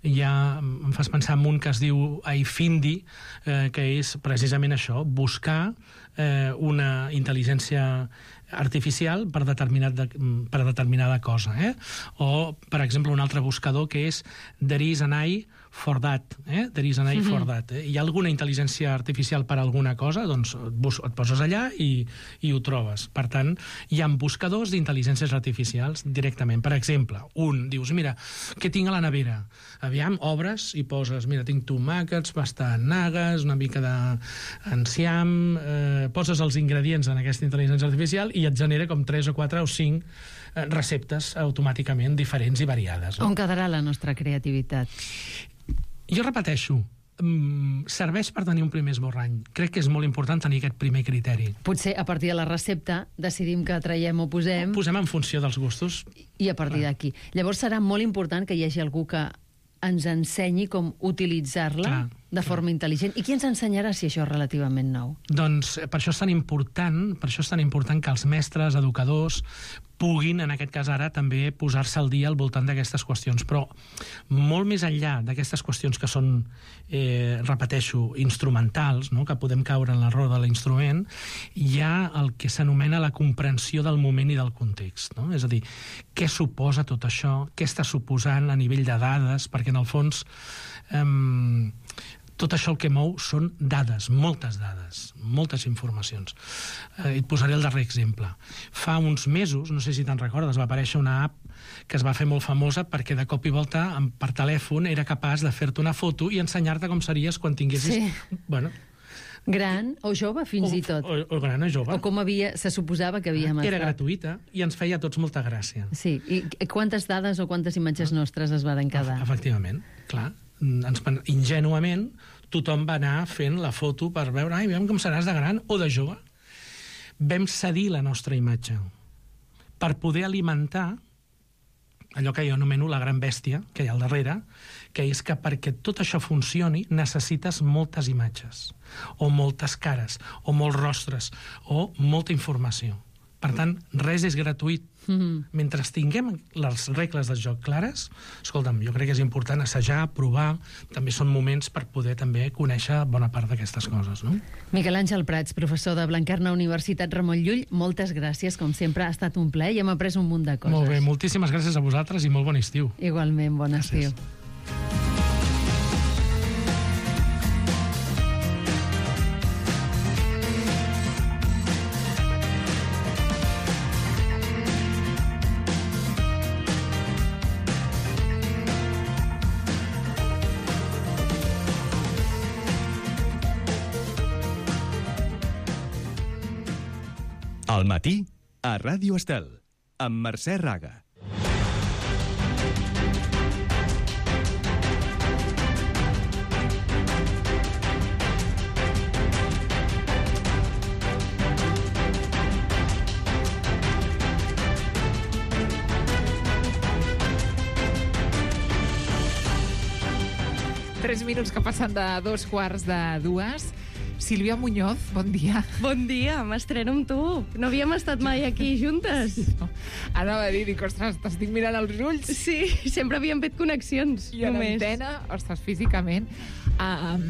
ja em fas pensar en un que es diu iFindi, eh, que és precisament això, buscar eh, una intel·ligència artificial per, determinat de, per determinada cosa. Eh? O, per exemple, un altre buscador que és There is an eye for that. Eh? There is an eye mm-hmm. for that. Eh? Hi ha alguna intel·ligència artificial per alguna cosa? Doncs et, bus et poses allà i, i ho trobes. Per tant, hi ha buscadors d'intel·ligències artificials directament. Per exemple, un, dius, mira, què tinc a la nevera? Aviam, obres i poses, mira, tinc tomàquets, pastanagues, una mica d'enciam, eh, poses els ingredients en aquesta intel·ligència artificial i et genera com tres o quatre o cinc eh, receptes automàticament diferents i variades. No? On quedarà la nostra creativitat? Jo repeteixo, mm, serveix per tenir un primer esborrany. Crec que és molt important tenir aquest primer criteri. Potser a partir de la recepta decidim que traiem o posem... Posem en funció dels gustos. I a partir d'aquí. Llavors serà molt important que hi hagi algú que ens ensenyi com utilitzar-la Clar, de forma intel·ligent. I qui ens ensenyarà si això és relativament nou? Doncs eh, per això és tan important, per això és tan important que els mestres, educadors, puguin, en aquest cas ara, també posar-se al dia al voltant d'aquestes qüestions. Però molt més enllà d'aquestes qüestions que són, eh, repeteixo, instrumentals, no? que podem caure en l'error de l'instrument, hi ha el que s'anomena la comprensió del moment i del context. No? És a dir, què suposa tot això? Què està suposant a nivell de dades? Perquè, en el fons, eh, tot això el que mou són dades, moltes dades, moltes informacions. Eh, et posaré el darrer exemple. Fa uns mesos, no sé si te'n recordes, va aparèixer una app que es va fer molt famosa perquè de cop i volta per telèfon era capaç de fer-te una foto i ensenyar-te com series quan tinguessis... Sí. Bueno, Gran o jove, fins o, i tot. O, o gran o jove. O com havia, se suposava que havíem Era estat. gratuïta i ens feia a tots molta gràcia. Sí, i quantes dades o quantes imatges nostres es van quedar? Efectivament, clar. Ens, ingenuament, tothom va anar fent la foto per veure, ai, veiem com seràs de gran o de jove. Vam cedir la nostra imatge per poder alimentar allò que jo anomeno la gran bèstia que hi ha al darrere, que és que perquè tot això funcioni necessites moltes imatges, o moltes cares, o molts rostres, o molta informació. Per tant, res és gratuït. Mm-hmm. Mentre tinguem les regles del joc clares, escolta'm, jo crec que és important assajar, provar, també són moments per poder també conèixer bona part d'aquestes coses, no? Miquel Àngel Prats, professor de Blanquerna, Universitat Ramon Llull, moltes gràcies, com sempre, ha estat un plaer i hem après un munt de coses. Molt bé, moltíssimes gràcies a vosaltres i molt bon estiu. Igualment, bon Gràcies. estiu. Al matí, a Ràdio Estel, amb Mercè Raga. Tres minuts que passen de dos quarts de dues. Sílvia Muñoz, bon dia. Bon dia, m'estreno amb tu. No havíem estat mai aquí juntes. No. Anava a dir, dic, ostres, t'estic mirant als ulls. Sí, sempre havíem fet connexions. I a només. l'antena, ostres, físicament. Uh,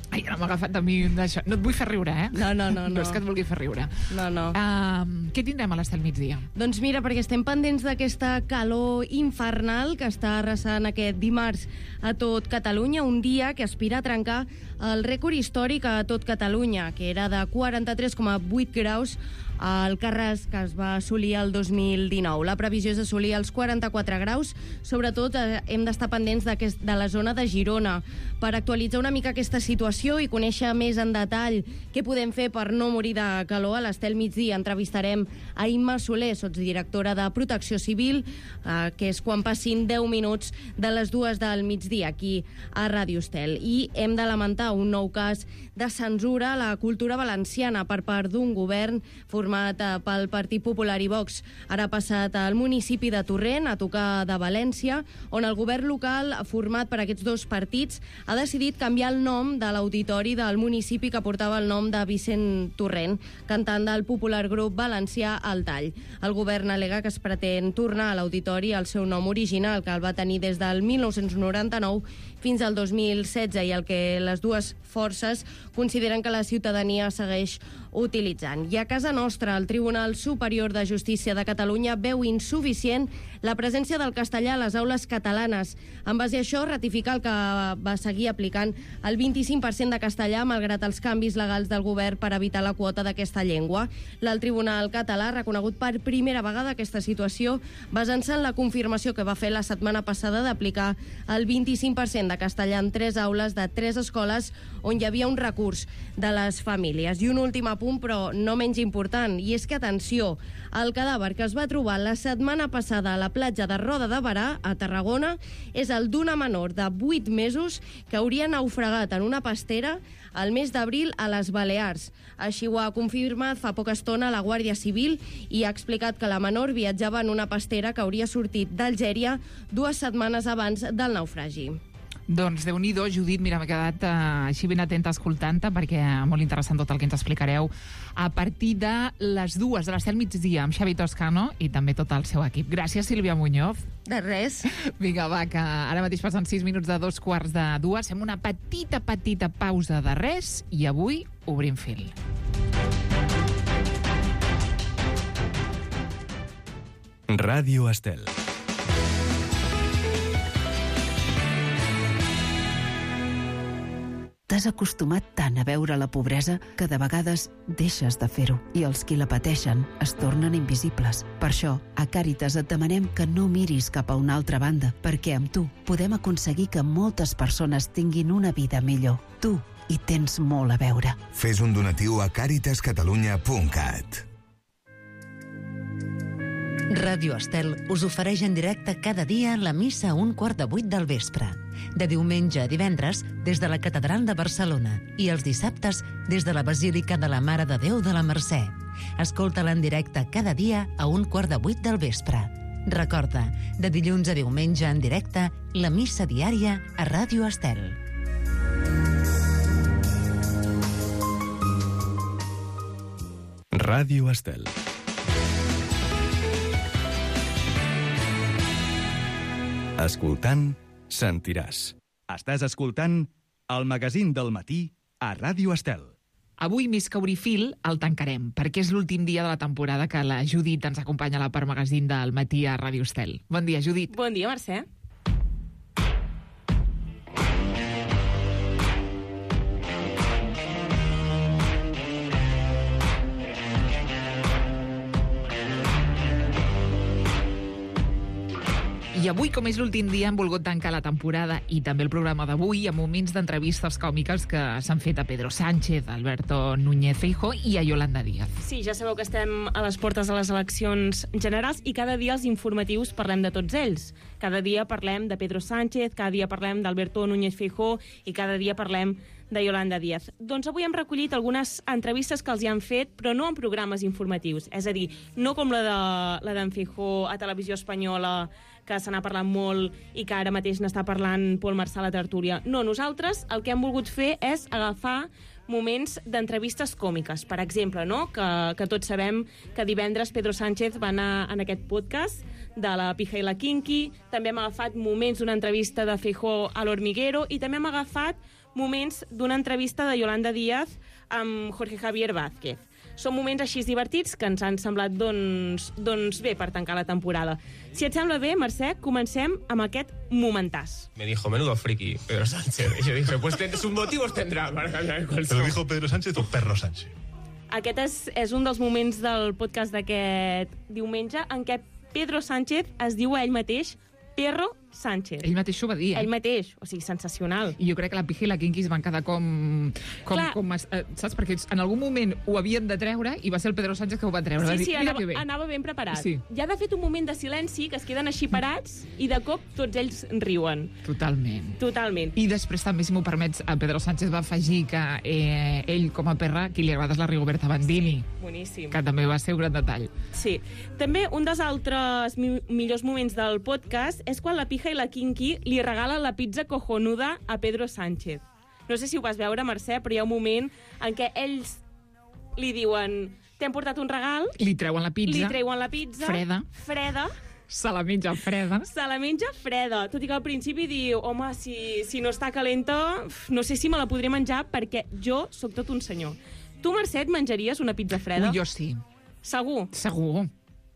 Ai, ara m'ha agafat a mi d'això. No et vull fer riure, eh? No, no, no. No, no és que et vulgui fer riure. No, no. Uh, què tindrem a l'Estel migdia? Doncs mira, perquè estem pendents d'aquesta calor infernal que està arrasant aquest dimarts a tot Catalunya, un dia que aspira a trencar el rècord històric a tot Catalunya, que era de quaranta-tres coma vuit graus al Carràs, que es va assolir el dos mil dinou. La previsió és assolir els quaranta-quatre graus. Sobretot eh, hem d'estar pendents de la zona de Girona per actualitzar una mica aquesta situació i conèixer més en detall què podem fer per no morir de calor. A l'Estel migdia entrevistarem a Imma Soler, sotsdirectora de Protecció Civil, eh, que és quan passin deu minuts de les dues del migdia aquí a Ràdio Estel. I hem de lamentar un nou cas de censura a la cultura valenciana per part d'un govern format pel Partit Popular i Vox. Ara ha passat al municipi de Torrent, a tocar de València, on el govern local, format per aquests dos partits, ha decidit canviar el nom de l'auditori del municipi que portava el nom de Vicent Torrent, cantant del popular grup valencià El Tall. El govern al·lega que es pretén tornar a l'auditori al seu nom original, que el va tenir des del mil nou-cents noranta-nou fins al dos mil setze, i el que les dues forces consideren que la ciutadania segueix utilitzant. I a casa nostra, el Tribunal Superior de Justícia de Catalunya veu insuficient la presència del castellà a les aules catalanes. En base a això, ratifica el que va seguir aplicant el vint-i-cinc per cent de castellà, malgrat els canvis legals del govern per evitar la quota d'aquesta llengua. El Tribunal català ha reconegut per primera vegada aquesta situació, basant-se en la confirmació que va fer la setmana passada d'aplicar el vint-i-cinc per cent de castellà en tres aules de tres escoles on hi havia un recurs de les famílies. I un últim apunt, però no menys important, i és que, atenció, el cadàver que es va trobar la setmana passada a la platja de Roda de Berà, a Tarragona, és el d'una menor de vuit mesos que hauria naufragat en una pastera al mes d'abril a les Balears. Així ho ha confirmat fa poca estona la Guàrdia Civil i ha explicat que la menor viatjava en una pastera que hauria sortit d'Algèria dues setmanes abans del naufragi. Doncs Déu-n'hi-do, Judit, mira, m'he quedat eh, així ben atenta escoltant-te, perquè molt interessant tot el que ens explicareu a partir de les dues de l'Estel migdia amb Xavi Toscano i també tot el seu equip. Gràcies, Sílvia Muñoz. De res. Vinga, va, que ara mateix passen sis minuts de dos quarts de dues. Fem una petita, petita pausa de res i avui obrim fil. Ràdio Estel. T'has acostumat tant a veure la pobresa que de vegades deixes de fer-ho i els qui la pateixen es tornen invisibles. Per això, a Càritas et demanem que no miris cap a una altra banda, perquè amb tu podem aconseguir que moltes persones tinguin una vida millor. Tu hi tens molt a veure. Fes un donatiu a càritas catalunya punt cat. Ràdio Estel us ofereix en directe cada dia la missa a un quart de vuit del vespre. De diumenge a divendres des de la Catedral de Barcelona i els dissabtes des de la Basílica de la Mare de Déu de la Mercè. Escolta-la en directe cada dia a un quart de vuit del vespre. Recorda, de dilluns a diumenge en directe, la missa diària a Ràdio Estel. Ràdio Estel. Escoltant, sentiràs. Estàs escoltant el magazín del matí a Ràdio Estel. Avui, més que obrir fil, el tancarem, perquè és l'últim dia de la temporada que la Judit ens acompanya a la part magazín del matí a Ràdio Estel. Bon dia, Judit. Bon dia, Mercè. I avui, com és l'últim dia, hem volgut tancar la temporada i també el programa d'avui amb moments d'entrevistes còmiques que s'han fet a Pedro Sánchez, a Alberto Núñez Feijóo i a Yolanda Díaz. Sí, ja sabeu que estem a les portes de les eleccions generals i cada dia als informatius parlem de tots ells. Cada dia parlem de Pedro Sánchez, cada dia parlem d'Alberto Núñez Feijóo i cada dia parlem de Yolanda Díaz. Doncs avui hem recollit algunes entrevistes que els hi han fet, però no en programes informatius. És a dir, no com la de la d'en Feijóo a Televisió Espanyola, que se n'ha parlat molt i que ara mateix n'està parlant Pol Marçal a Tertúlia. No, nosaltres el que hem volgut fer és agafar moments d'entrevistes còmiques. Per exemple, no? que, que tots sabem que divendres Pedro Sánchez va anar en aquest podcast de la Pija i la Kinky, també hem agafat moments d'una entrevista de Feijóo a l'Hormiguero i també hem agafat moments d'una entrevista de Yolanda Díaz amb Jorge Javier Vázquez. Són moments així divertits que ens han semblat doncs, doncs bé per tancar la temporada. Si et sembla bé, Mercè, comencem amb aquest momentàs. Me dijo, menudo friki, Pedro Sánchez. Y yo dije, pues ten, sus motivos tendrá para cambiar el ¿Pero dijo Pedro Sánchez o Perro Sánchez? Aquest és, és un dels moments del podcast d'aquest diumenge en què Pedro Sánchez es diu a ell mateix Perro Sánchez. Ell mateix ho va dir, eh? Ell mateix, o sigui, sensacional. I jo crec que la Pija i la Kinky es van quedar com... com, com eh, saps? Perquè en algun moment ho havien de treure i va ser el Pedro Sánchez que ho va treure. Sí, va dir, sí, mira anava, que bé. anava ben preparat. Sí. Ja ha de fet un moment de silenci que es queden així parats i de cop tots ells riuen. Totalment. Totalment. I després també, si m'ho permets, a Pedro Sánchez va afegir que eh, ell, com a perra, qui li agrada és la Rigoberta Bandini. Sí, boníssim. Que també va ser un gran detall. Sí. També un dels altres mi millors moments del podcast és quan la Pija i la Kinky li regala la pizza cojonuda a Pedro Sánchez. No sé si ho vas veure, Mercè, però hi ha un moment en què ells li diuen t'hem portat un regal, li treuen la pizza, li treuen la pizza freda, freda se la menja freda. Se la menja freda, tot i que al principi diu home, si, si no està calenta, no sé si me la podré menjar perquè jo sóc tot un senyor. Tu, Mercè, et menjaries una pizza freda? Ui, jo sí. Segur? Segur.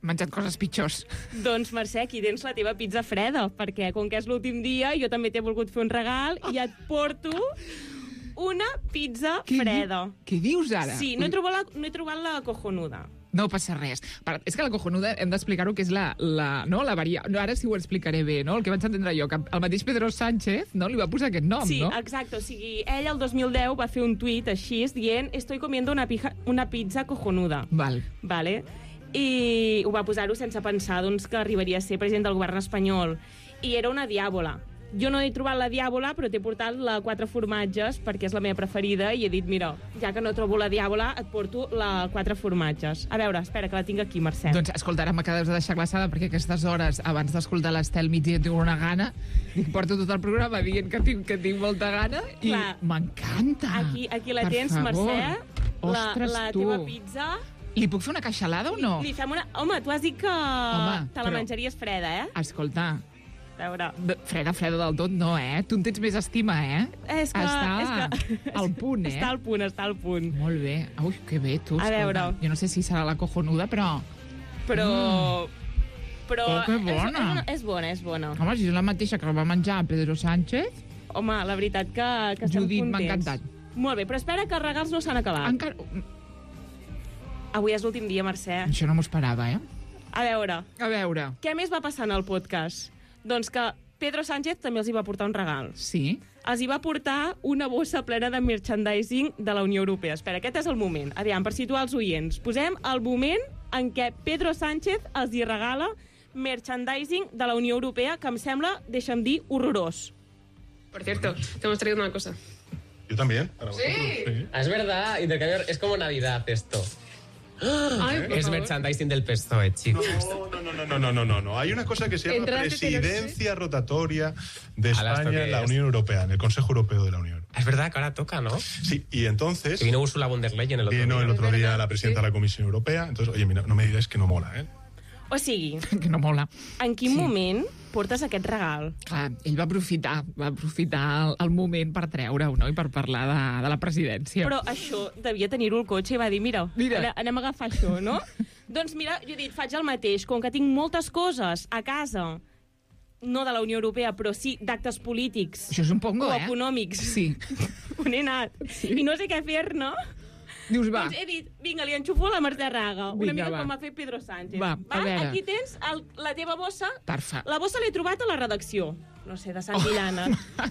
He menjat coses pitjors. Doncs, Mercè, aquí tens la teva pizza freda, perquè com que és l'últim dia, jo també t'he volgut fer un regal i et porto una pizza què freda. Di què dius ara? Sí, no he trobat la, no he trobat la cojonuda. No passa res. És que la cojonuda hem d'explicar-ho que és la, la, no, la varia... No, ara sí ho explicaré bé, no? El que vaig entendre jo, que el mateix Pedro Sánchez no, li va posar aquest nom, sí, no? Sí, exacte. O sigui, ell el dos mil deu va fer un tuit així, dient estoy comiendo una, pija, una pizza cojonuda. Val. Vale. I ho va posar-ho sense pensar doncs, que arribaria a ser president del govern espanyol. I era una diàbola. Jo no he trobat la diàbola, però t'he portat la quatre formatges, perquè és la meva preferida, i he dit, mira, ja que no trobo la diàbola, et porto la quatre formatges. A veure, espera, que la tinc aquí, Mercè. Doncs, escolta, ara m'acabes de deixar glaçada, perquè aquestes hores, abans d'escoltar l'Estel migdia, tinc una gana, dic, porto tot el programa dient que tinc, que tinc molta gana, i m'encanta. Aquí, aquí la per tens, favor. Mercè, la, Ostres, la tu. teva pizza. Li puc fer una caixalada o no? Li, li fem una... Home, tu has dit que Home, te la però... menjaries freda, eh? Escolta, a veure. Freda, freda del tot no, eh? Tu en tens més estima, eh? És que... Està és que... al punt, eh? Està al punt, està al punt. Molt bé. Ui, que bé, tu. A veure. Jo no sé si serà la cojonuda, però... Però... Mm. Però... Oh, que bona. És, és, és bona, és bona. Home, si és la mateixa que va menjar Pedro Sánchez... Home, la veritat que, que estem Judit, contents. m'ha encantat. Molt bé, però espera que els regals no s'han acabat. Encara... Avui és l'últim dia, Mercè. Això no m'ho esperava, eh? A veure. A veure. Què més va passar en el podcast? Doncs que Pedro Sánchez també els hi va portar un regal. Sí? Els hi va portar una bossa plena de merchandising de la Unió Europea. Espera, aquest és el moment. Aviam, per situar els oients. Posem el moment en què Pedro Sánchez els hi regala merchandising de la Unió Europea, que em sembla, deixa'm dir, horrorós. Por cierto, te hemos traído una cosa. Yo también. Para ¿Sí? vosotros, sí. Ah, es verdad, intercambiar, es como Navidad esto. Ay, por es favor. merchandising del P S O E, chicos. No, no, no, no, no, no, no, no. Hay una cosa que se llama Entraste, presidencia rotatoria de Ahora, ¿esto España qué en la es? Unión Europea, en el Consejo Europeo de la Unión. Es verdad que ahora toca, ¿no? Sí, y entonces... Que vino Ursula von der Leyen el otro vino día. el otro Es día verdad, la presidenta sí. de la Comisión Europea. Entonces, oye, mira, no me digáis que no mola, ¿eh? O sigui, Que no mola. en quin Sí. moment portes aquest regal? Clar, ell va aprofitar, va aprofitar el, el moment per treure-ho, no?, i per parlar de, de la presidència. Però això devia tenir-ho al cotxe i va dir, mira, Mira. ane- anem a agafar això, no? Doncs mira, jo he dit, faig el mateix, com que tinc moltes coses a casa, no de la Unió Europea, però sí d'actes polítics Això és un pongo, o eh? econòmics, Sí. on he anat, sí. i no sé què fer-ne, Dius, va. doncs he dit, vinga, li enxufo la Mercè Raga, una Vinga, mica va. com ha fet Pedro Sánchez. Va, a veure. Aquí tens el, la teva bossa. Perfecte. La bossa l'he trobat a la redacció, no sé, de Sant Villana. Oh.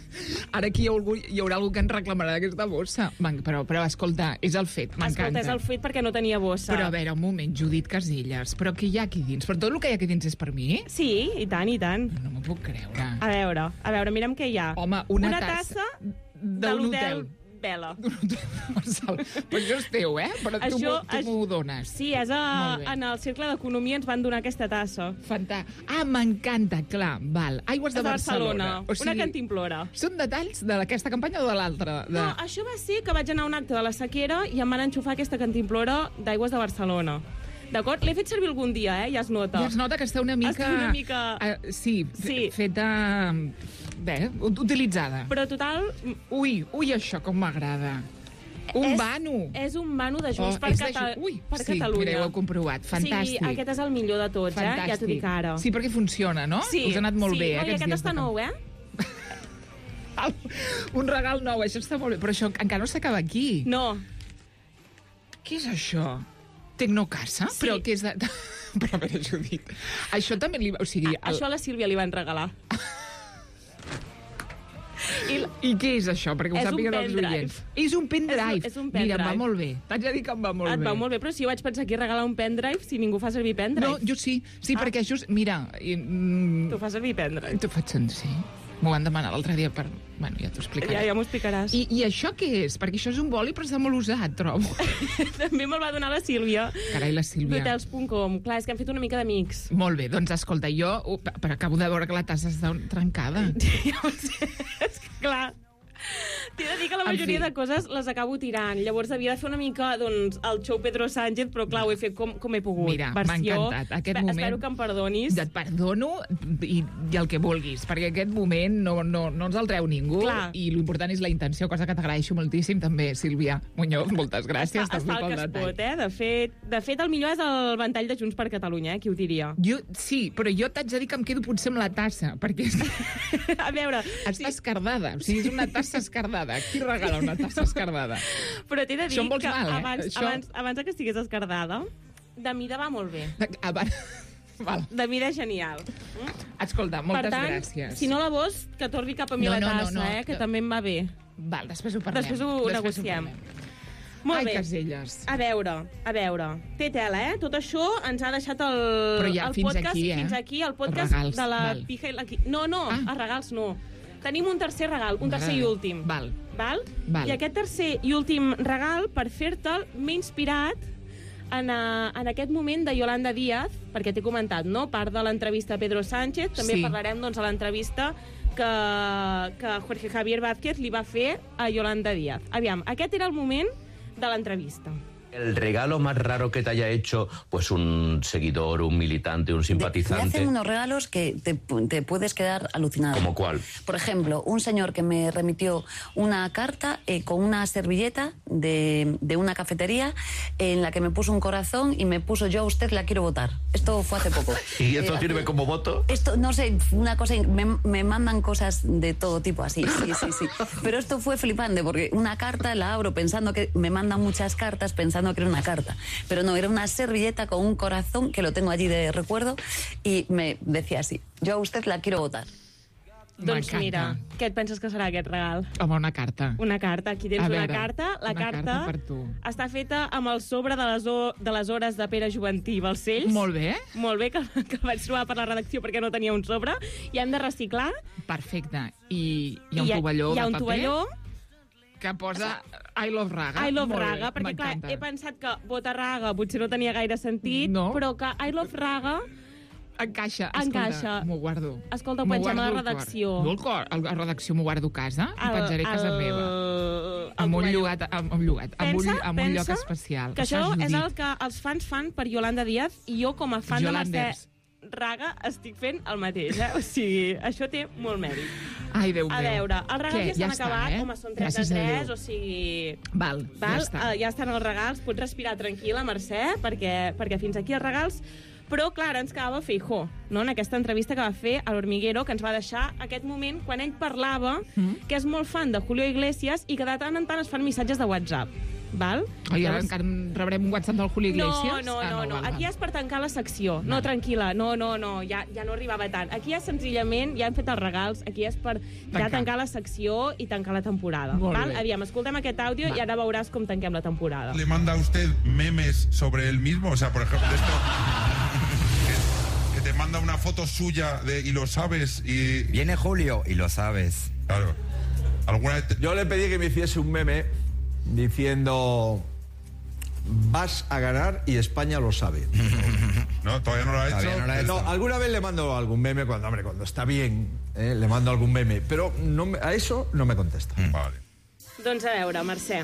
Ara aquí hi, ha algú, hi haurà algú que ens reclamarà d'aquesta bossa. Man, però, però, escolta, és el fet, m'encanta. Escolta, és el fet perquè no tenia bossa. Però a veure, un moment, Judit Casellas, però què hi ha aquí dins? Però tot el que hi ha aquí dins és per mi? Sí, i tant, i tant. No m'ho puc creure. A veure, a veure, mira'm què hi ha. Home, una, una tassa, tassa de de un l'hotel hotel. vela. Però això és teu, eh? Però tu Això- m'ho- tu m'ho dones. Sí, és a, Molt bé. en el Cercle d'Economia ens van donar aquesta tassa. Fantàstic. Ah, m'encanta, clar, val. Aigües de És de Barcelona. Barcelona, una cantimplora. Són detalls d'aquesta campanya o de l'altra? De... No, això va ser que vaig anar a un acte de la sequera i em van enxufar aquesta cantimplora d'Aigües de Barcelona. D'acord? L'he fet servir algun dia, eh? Ja es nota. Ja es nota que està una mica... Està una mica... Uh, sí, Sí. feta... Bé, utilitzada. Però total... Ui, ui, això com m'agrada. Un és, vano. És un vano de Junts Oh, per, és de Cata Ju- Ui, per sí, Catalunya. mira, ho he comprovat. Fantàstic. O sigui, aquest és el millor de tots, eh? Ja t'ho dic ara. Sí, perquè funciona, no? Sí, Us ha anat molt sí. bé, eh, No, i aquests aquest dies està de nou, eh? Un regal nou, això està molt bé. Però això encara no s'acaba aquí. No. Què és això? Tecnocasa? Sí. Però què és de... Però a veure, Judit, això també li... O sigui, El... Això a la Sílvia li van regalar. I, I què és això? Perquè ho És un sàpiguen els pendrive. oients. És un pendrive. És, és un Mira, pendrive. em va molt bé. T'haig de dir que em va molt Et bé. va molt bé, però si jo vaig pensar aquí regalar un pendrive si ningú fa servir pendrive. No, jo sí. Sí, ah. perquè just... Mira... I, mm, Tu fas servir pendrive. T'ho faig sentir, sí. M'ho van demanar l'altre dia per... Bueno, ja t'ho explicaré. Ja, ja m'ho explicaràs. I, I això què és? Perquè això és un boli, però està molt usat, trobo. També me'l va donar la Sílvia. Carai, la Sílvia. Hotels punt com. Clar, és que hem fet una mica d'amics. Molt bé, doncs escolta, jo... Uh, però acabo de veure que la tassa està trencada. Ja ho sé, és que clar... T'he de dir que la En majoria fi. de coses les acabo tirant. Llavors havia de fer una mica, doncs, el show Pedro Sánchez, però clar, ho he fet com, com he pogut. Mira, m'ha Versió. encantat. Aquest Espe- moment... Espero que em perdonis. Ja et perdono i, i el que vulguis, perquè aquest moment no, no, no ens el treu ningú. Clar. I l'important és la intenció, cosa que t'agraeixo moltíssim també, Sílvia Muñoz. Moltes gràcies. Es fa, es fa el que es pot, eh? De fet, de fet, el millor és el ventall de Junts per Catalunya, eh? Qui ho diria? Jo, sí, però jo t'haig de dir que em quedo potser amb la tassa, perquè A veure... està escardada. O sigui, és una tassa escardada. Qui regala una tassa escardada? Però t'he de dir Això em vols que mal, eh? abans, Això- abans, abans que estigués escardada, de mida va molt bé. Abans... Val. De mida genial. Escolta, moltes per tant, gràcies. si no la vols, que torni cap a mi No, la no, no, tassa, no, eh? Que no. també em va bé. Val, després ho parlem. Després ho negociem. parlem. Molt Ai, bé. Caselles. A veure, a veure. Té tela, eh? Tot això ens ha deixat el, Però ja el fins podcast... aquí, eh? Fins aquí, el podcast Els regals, de la val. pija i la... qui- No, no, ah. els regals no. Tenim un tercer regal, un tercer i M'agrada. últim. Val. Val? Val. I aquest tercer i últim regal, per fer-te'l, m'he inspirat en, a, en aquest moment de Yolanda Díaz, perquè t'he comentat, no?, part de l'entrevista a Pedro Sánchez, també Sí. parlarem, doncs, a l'entrevista que, que Jorge Javier Vázquez li va fer a Yolanda Díaz. Aviam, aquest era el moment de l'entrevista. El regalo más raro que te haya hecho, pues un seguidor, un militante, un Me simpatizante. hacen unos regalos que te, te puedes quedar alucinado. ¿Como cuál? Por ejemplo, un señor que me remitió una carta eh, con una servilleta de, de una cafetería en la que me puso un corazón y me puso yo a usted la quiero votar. Esto fue hace poco. ¿Y esto Eh, sirve como voto? Esto, no sé, una cosa, me, me mandan cosas de todo tipo así, sí, sí, sí. Pero esto fue flipante porque una carta la abro pensando que me mandan muchas cartas, pensando que era una carta. Pero no, era una servilleta con un corazón que lo tengo allí de recuerdo y me decía así, yo a usted la quiero votar. Doncs M'encanta. mira, què et penses que serà aquest regal? Home, una carta. Una carta, aquí tens A una veure, carta. La una carta, carta per tu. està feta amb el sobre de les, o, de les hores de Pere Juventí i Balcells. Molt bé. Molt bé, que, que el vaig trobar per la redacció perquè no tenia un sobre. I hem de reciclar. Perfecte. I hi ha un I tovalló hi ha de un paper tovalló. que posa I love Raga. I love Molt Raga, bé, perquè clar, m'encanta. he pensat que Vota Raga potser no tenia gaire sentit, No. però que I love Raga Encaixa, escolta, Encaixa. m'ho guardo. Escolta, ho M'ho pengem a la guardo al cor. redacció. No al cor, a la redacció m'ho guardo a casa, ho El- penjaré a casa el- meva. el Amb un tovalló. llogat, amb, amb, llogat, amb, un, Pensa, amb un lloc pensa especial. que això Saps, és Judit? el que els fans fan per Yolanda Díaz i jo, com a fan de Mercè Yolanders. Raga, estic fent el mateix, eh? O sigui, això té molt mèrit. Ai, Déu A meu. veure, els regals Què? ja s'han Ja està, acabat, eh? home, són tres Gràcies de a tres, Déu. o sigui... Val, Val? ja està. Eh, ja estan els regals, pots respirar tranquil·la, Mercè, perquè, perquè fins aquí els regals. Però, clar, ara ens quedava Feijó, no?, en aquesta entrevista que va fer a l'Hormiguero, que ens va deixar aquest moment quan ell parlava Mm. que és molt fan de Julio Iglesias i que de tant en tant es fan missatges de WhatsApp. Val? Ai, ara Llavors- encara rebrem un WhatsApp del Julio Iglesias? No, no, Ah, no, no. val, Aquí val. és per tancar la secció. No, tranquil·la, no, no, no, ja, ja no arribava tant. Aquí és senzillament, ja hem fet els regals, aquí és per ja Tancar. tancar la secció i tancar la temporada. Molt Val? bé. Aviam, escoltem aquest àudio Va. i ara veuràs com tanquem la temporada. ¿Le manda a usted memes sobre él mismo? O sea, por ejemplo, de esto... Que, que te manda una foto suya de, y lo sabes y... Viene Julio y lo sabes. Claro. ¿Alguna vez Yo le pedí que me hiciese un meme diciendo: vas a ganar y España lo sabe. No, todavía no lo ha hecho. No, no, no, alguna vez le mando algún meme cuando, hombre, cuando está bien, eh, le mando algún meme, pero no, me- a eso no me contesta. Mm. Vale. Doncs a veure, Mercè,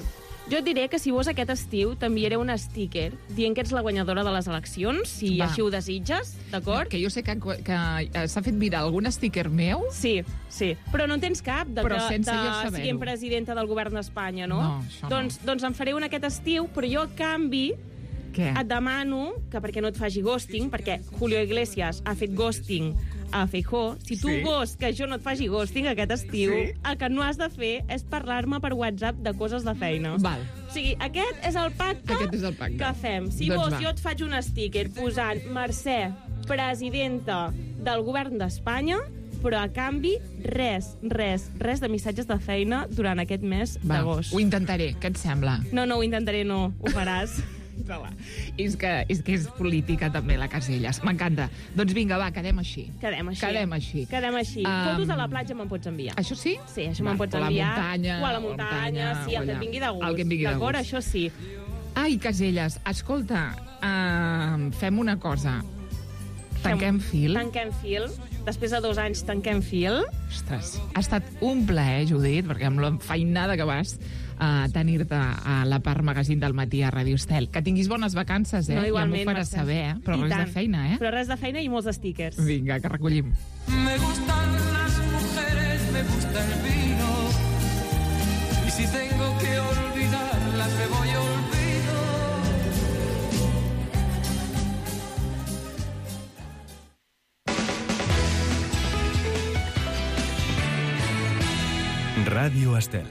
jo et diré que si vos aquest estiu t'enviaré un sticker dient que ets la guanyadora de les eleccions, si Va. així ho desitges, d'acord? Que jo sé que, que eh, s'ha fet viral algun sticker meu. Sí, sí. Però no en tens cap de Però que sense de jo saber-ho. siguem presidenta del govern d'Espanya, no? No, això no. doncs, doncs en faré un aquest estiu, però jo, a canvi, Què? et demano que perquè no et faci ghosting, perquè Julio Iglesias ha fet ghosting a Feijóo, si tu Sí. vols que jo no et faci ghosting aquest estiu, Sí. el que no has de fer és parlar-me per WhatsApp de coses de feina. Val. O sigui, aquest és el pacte, Aquest és el pacte. que fem. Si Doncs vols, va. jo et faig un sticker posant Mercè, presidenta del govern d'Espanya, però a canvi, res, res, res de missatges de feina durant aquest mes Va, d'agost. ho intentaré, què et sembla? No, no, ho intentaré, no, ho faràs. És que, és que és política també, la Casellas. M'encanta. Doncs vinga, va, quedem així. Quedem així. Quedem així. Quedem així. Um, Fotos a la platja me'n pots enviar. Això sí? Sí, això Va, me'n pots o a la enviar. muntanya, o a la o a la muntanya, muntanya, sí, o el que allà. et vingui de gust. El que et vingui de D'acord, gust. això sí. Ai, Casellas, escolta, uh, fem una cosa. Tanquem fil. Tanquem fil. Després de dos anys tanquem fil. Ostres, ha estat un plaer, Judit, perquè amb l'enfeinada que vas a tenir-te a la part magazín del matí a Radio Estel. Que tinguis bones vacances, eh? No, igualment, ja m'ho faràs Mercè. saber, eh? Però I res tant. de feina, eh? Però res de feina i molts stickers. Vinga, que recollim. Me gustan las mujeres, me gusta el vino. Y si tengo que olvidarlas, me voy a olvido. Ràdio Estel.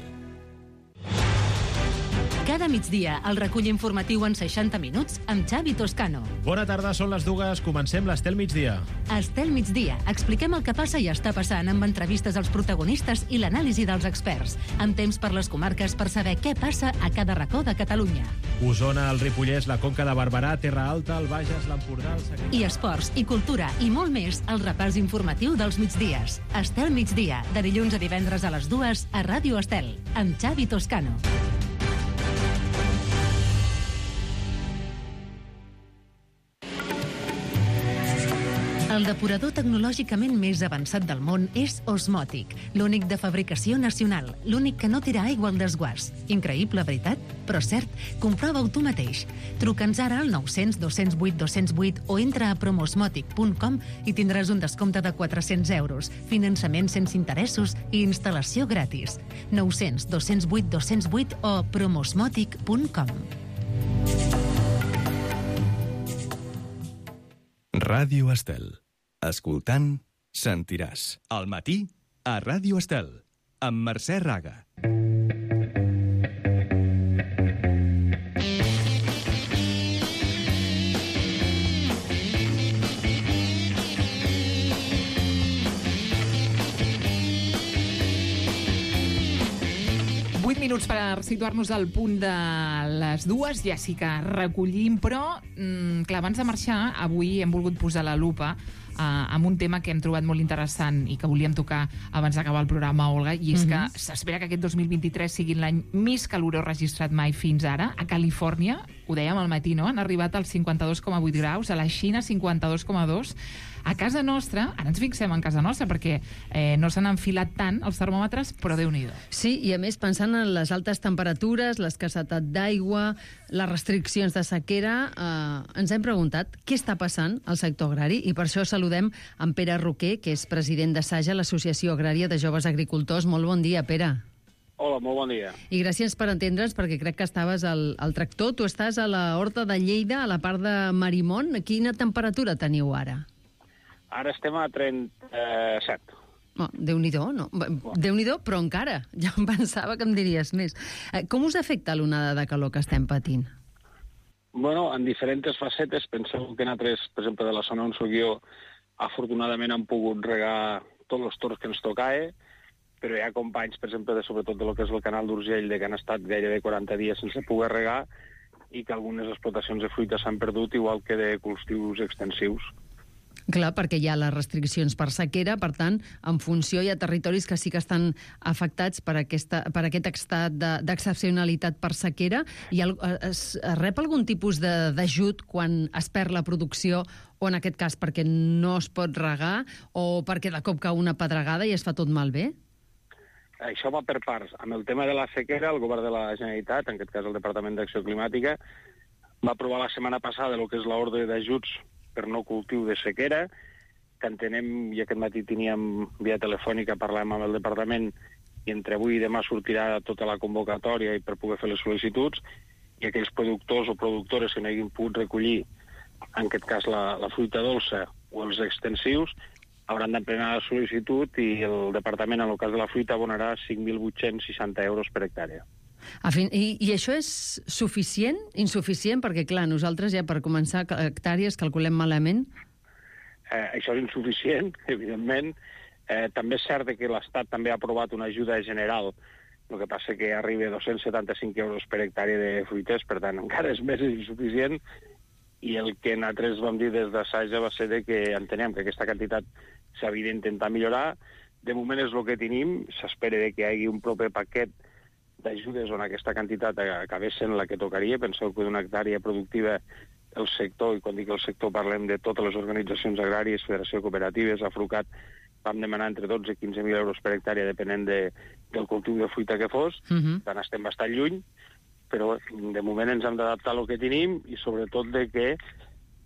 Cada migdia, el recull informatiu en seixanta minuts amb Xavi Toscano. Bona tarda, són les dues. Comencem l'Estel Migdia. Estel Migdia. Expliquem el que passa i està passant amb entrevistes als protagonistes i l'anàlisi dels experts. Amb temps per les comarques per saber què passa a cada racó de Catalunya. Osona, el Ripollès, la Conca de Barberà, Terra Alta, el Bages, l'Empordà, el Segrià... I esports, i cultura, i molt més al repàs informatiu dels migdies. Estel Migdia, de dilluns a divendres a les dues a Ràdio Estel, amb Xavi Toscano. El depurador tecnològicament més avançat del món és Osmotic, l'únic de fabricació nacional, l'únic que no tira aigua al desguàs. Increïble, veritat? Però cert, comprova-ho tu mateix. Truca'ns ara al nou cents dos cents vuit dos cents vuit o entra a promosmotic punt com i tindràs un descompte de quatre-cents euros, finançament sense interessos i instal·lació gratis. nou cents dos cents vuit dos cents vuit o promosmotic punt com. Ràdio Estel. Escoltant, sentiràs. Al matí, a Ràdio Estel, amb Mercè Raga. Vuit minuts per situar-nos al punt de les dues, ja sí que recollim, però, mm, clar, abans de marxar, avui hem volgut posar la lupa eh, amb un tema que hem trobat molt interessant i que volíem tocar abans d'acabar el programa, Olga, i és Mhm. que s'espera que aquest dos mil vint-i-tres sigui l'any més calorós registrat mai fins ara. A Califòrnia, ho dèiem al matí, no?, han arribat als cinquanta-dos coma vuit graus, a la Xina cinquanta-dos coma dos. A casa nostra, ara ens fixem en casa nostra, perquè eh, no s'han enfilat tant els termòmetres, però Déu-n'hi-do. Sí, i a més, pensant en les altes temperatures, l'escassetat d'aigua, les restriccions de sequera, eh, ens hem preguntat què està passant al sector agrari, i per això saludem en Pere Roquer, que és president de SAJA, l'Associació Agrària de Joves Agricultors. Molt bon dia, Pere. Hola, molt bon dia. I gràcies per entendre'ns, perquè crec que estaves al, al tractor. Tu estàs a la Horta de Lleida, a la part de Marimont. Quina temperatura teniu ara? Ara estem a trenta-set. Oh, Déu-n'hi-do, no? Déu-n'hi-do, però encara. Ja em pensava que em diries més. Eh, Com us afecta l'onada de calor que estem patint? Bueno, en diferents facetes. Penseu que nosaltres, per exemple, de la zona on soc jo, afortunadament hem pogut regar tots els torns que ens tocava, però hi ha companys, per exemple, de, sobretot de lo que és el canal d'Urgell, de que han estat gairebé quaranta dies sense poder regar i que algunes explotacions de fruita s'han perdut, igual que de cultius extensius. Clar, perquè hi ha les restriccions per sequera, per tant, en funció hi ha territoris que sí que estan afectats per, aquesta, per aquest estat d'excepcionalitat per sequera. I el, es, es rep algun tipus d'ajut quan es perd la producció, o en aquest cas perquè no es pot regar, o perquè de cop cau una pedregada i es fa tot malbé? Això va per parts. Amb el tema de la sequera, el govern de la Generalitat, en aquest cas el Departament d'Acció Climàtica, va aprovar la setmana passada el que és l'ordre d'ajuts per no cultiu de sequera, que entenem, i aquest matí teníem via telefònica, parlàvem amb el departament, i entre avui i demà sortirà tota la convocatòria i per poder fer les sol·licituds, i aquells productors o productores que no hagin pogut recollir, en aquest cas la, la fruita dolça o els extensius, hauran d'emplenar la sol·licitud i el departament, en el cas de la fruita, abonarà cinc mil vuit-cents seixanta euros per hectàrea. Fin, i, I això és suficient? Insuficient? Perquè, clar, nosaltres ja per començar hectàrees calculem malament. Eh, això és insuficient, evidentment. Eh, també és cert que l'Estat també ha aprovat una ajuda general, el que passa que arriba a dos-cents setanta-cinc euros per hectàrea de fruiters, per tant, encara és més insuficient, i el que nosaltres vam dir des d'Assaja va ser de que entenem que aquesta quantitat s'havia d'intentar millorar. De moment és el que tenim, s'espera que hi hagi un proper paquet d'ajudes on aquesta quantitat acabés sent la que tocaria. Penseu que d'una hectàrea productiva el sector, i quan dic el sector parlem de totes les organitzacions agràries, Federació de Cooperatives, Afrucat, vam demanar entre dotze i quinze mil euros per hectàrea depenent de, del cultiu de fruita que fos, uh-huh. Tant estem bastant lluny, però de moment ens hem d'adaptar al que tenim i sobretot de que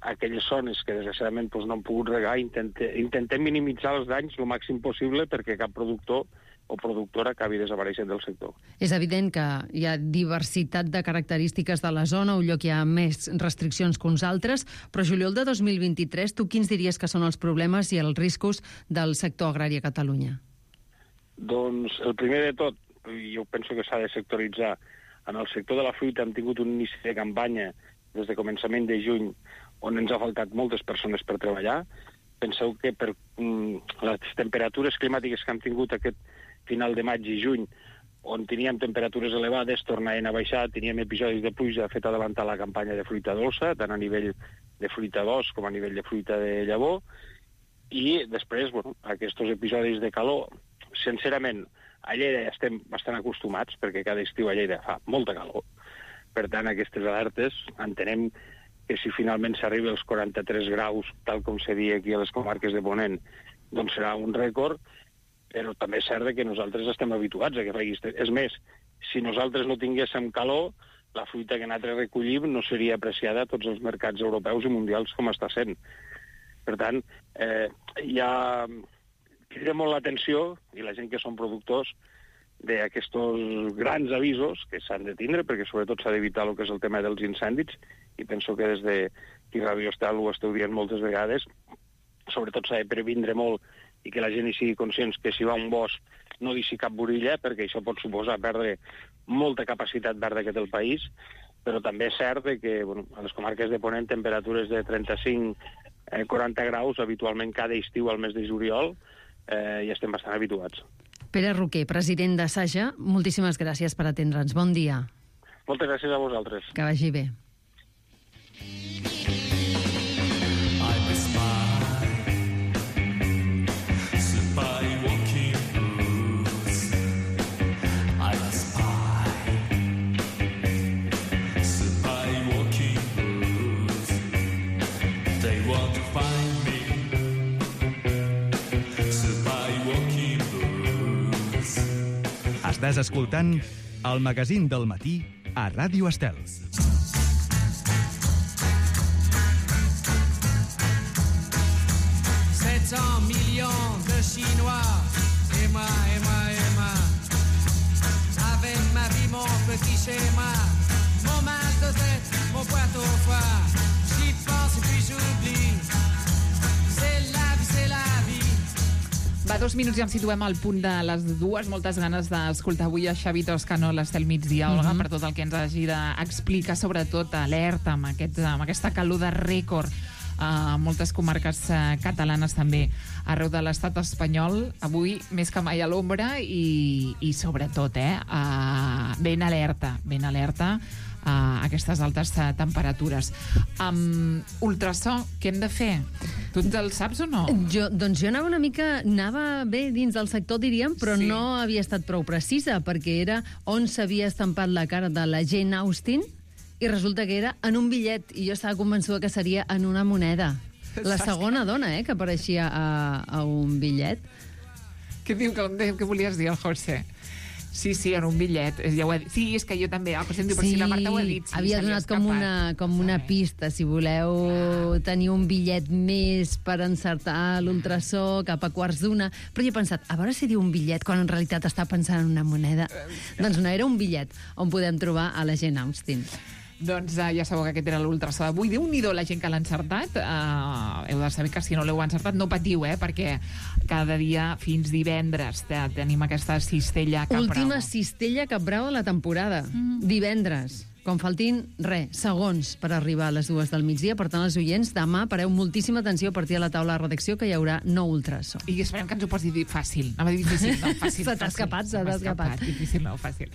aquelles zones que desgraciadament doncs, no han pogut regar intentem, intentem minimitzar els danys el màxim possible perquè cap productor o productora acabi desapareixent del sector. És evident que hi ha diversitat de característiques de la zona, un lloc hi ha més restriccions que uns altres, però juliol de dos mil vint-i-tres, tu quins diries que són els problemes i els riscos del sector agrari a Catalunya? Doncs el primer de tot, jo penso que s'ha de sectoritzar. En el sector de la fruita hem tingut un inici de campanya des de començament de juny on ens ha faltat moltes persones per treballar. Penseu que per mm, les temperatures climàtiques que hem tingut aquest final de maig i juny, on teníem temperatures elevades, tornaven a baixar, teníem episodis de pluja fet adelantar la campanya de fruita dolça, tant a nivell de fruita d'os com a nivell de fruita de llavor, i després, bueno, aquests episodis de calor, sincerament, a Lleida ja estem bastant acostumats, perquè cada estiu a Lleida fa molta calor. Per tant, aquestes alertes entenem que si finalment s'arriba als quaranta-tres graus, tal com se dia aquí a les comarques de Ponent, doncs serà un rècord, però també és cert que nosaltres estem habituats a que faci... És més, si nosaltres no tinguéssim calor, la fruita que nosaltres recollim no seria apreciada a tots els mercats europeus i mundials com està sent. Per tant, eh, hi ha... crida molt l'atenció, i la gent que són productors, d'aquests grans avisos que s'han de tindre, perquè sobretot s'ha d'evitar el que és el tema dels incendis, i penso que des de qui Ràdio Estel ho esteu dient moltes vegades, sobretot s'ha de previndre molt i que la gent hi sigui conscients que si va a un bosc no deixi cap borilla, perquè això pot suposar perdre molta capacitat verda que té el país, però també és cert que bueno, a les comarques de Ponent temperatures de trenta-cinc a quaranta graus habitualment cada estiu al mes de juliol, Eh, i estem bastant habituats. Pere Roquer, president d'Assaja, moltíssimes gràcies per atendre'ns. Bon dia. Moltes gràcies a vosaltres. Que vagi bé. Estàs escoltant el magazín del matí a Ràdio Estel. sept cents millions de Chinois, Emma, Emma, Emma, avec ma vie, mon petit schéma, mon mal de tête, mon boîte au foie, j'y pense et puis j'oublie, c'est la vie, c'est la vie. Va, dos minuts i ens situem al punt de les dues. Moltes ganes d'escoltar avui a Xavi Toscano a l'Estel Migdia, Olga, mm-hmm. per tot el que ens hagi d'explicar, sobretot alerta amb, aquest, amb aquesta calor de rècord a moltes comarques catalanes també arreu de l'estat espanyol. Avui més que mai a l'ombra i, i sobretot eh, ben alerta, ben alerta a aquestes altes uh, temperatures. Um, ultrasò, què hem de fer? Tu el saps o no? Jo, doncs jo anava una mica, anava bé dins del sector, diríem, però sí. no havia estat prou precisa, perquè era on s'havia estampat la cara de la Jane Austen, i resulta que era en un bitllet, i jo estava convençuda que seria en una moneda. La segona dona, eh, que apareixia a, a un bitllet. Què diu que, que volies dir, el José? Sí, sí, en un bitllet. Ja ho he... Sí, és que jo també. El José em diu, però Sí, si la Marta ho ha dit. Sí, havia donat com una, com una pista. Si voleu tenir un bitllet més per encertar l'ultrasó cap a quarts d'una. Però jo he pensat, a veure si diu un bitllet quan en realitat està pensant en una moneda. Doncs no, era un bitllet on podem trobar a la Jane Austen. Doncs uh, ja sabeu que aquest era l'ultrasó d'avui. Déu-n'hi-do la gent que l'ha encertat. Uh, heu de saber que si no l'heu encertat no patiu, eh? Perquè cada dia fins divendres tenim aquesta cistella Cap Bravo. Última cistella Cap Bravo de la temporada. Mm. Divendres. Com faltin, res, segons per arribar a les dues del migdia. Per tant, els oients, demà pareu moltíssima atenció a partir de la taula de redacció que hi haurà nou ultrasó. I esperem que ens ho pots dir fàcil. Anava a dir difícil, no, fàcil. Se t'ha escapat, se t'ha escapat. Difícil, no, fàcil.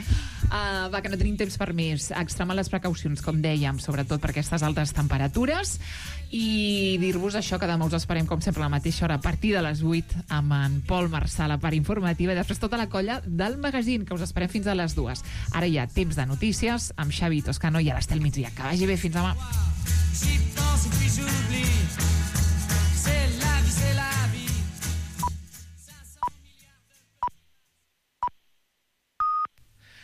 Uh, va, que no tenim temps per més. Extremar les precaucions, com dèiem, sobretot per aquestes altes temperatures. I dir-vos això, que demà us esperem, com sempre, a la mateixa hora, a partir de les vuit, amb en Pol Marçal, a part informativa, i després tota la colla del magazín, que us esperem fins a les dues. Ara hi ha temps de notícies, amb Xavi Toscano i a l'Estel Migdia. Que vagi bé, fins demà. J'y pense et puis j'oublie.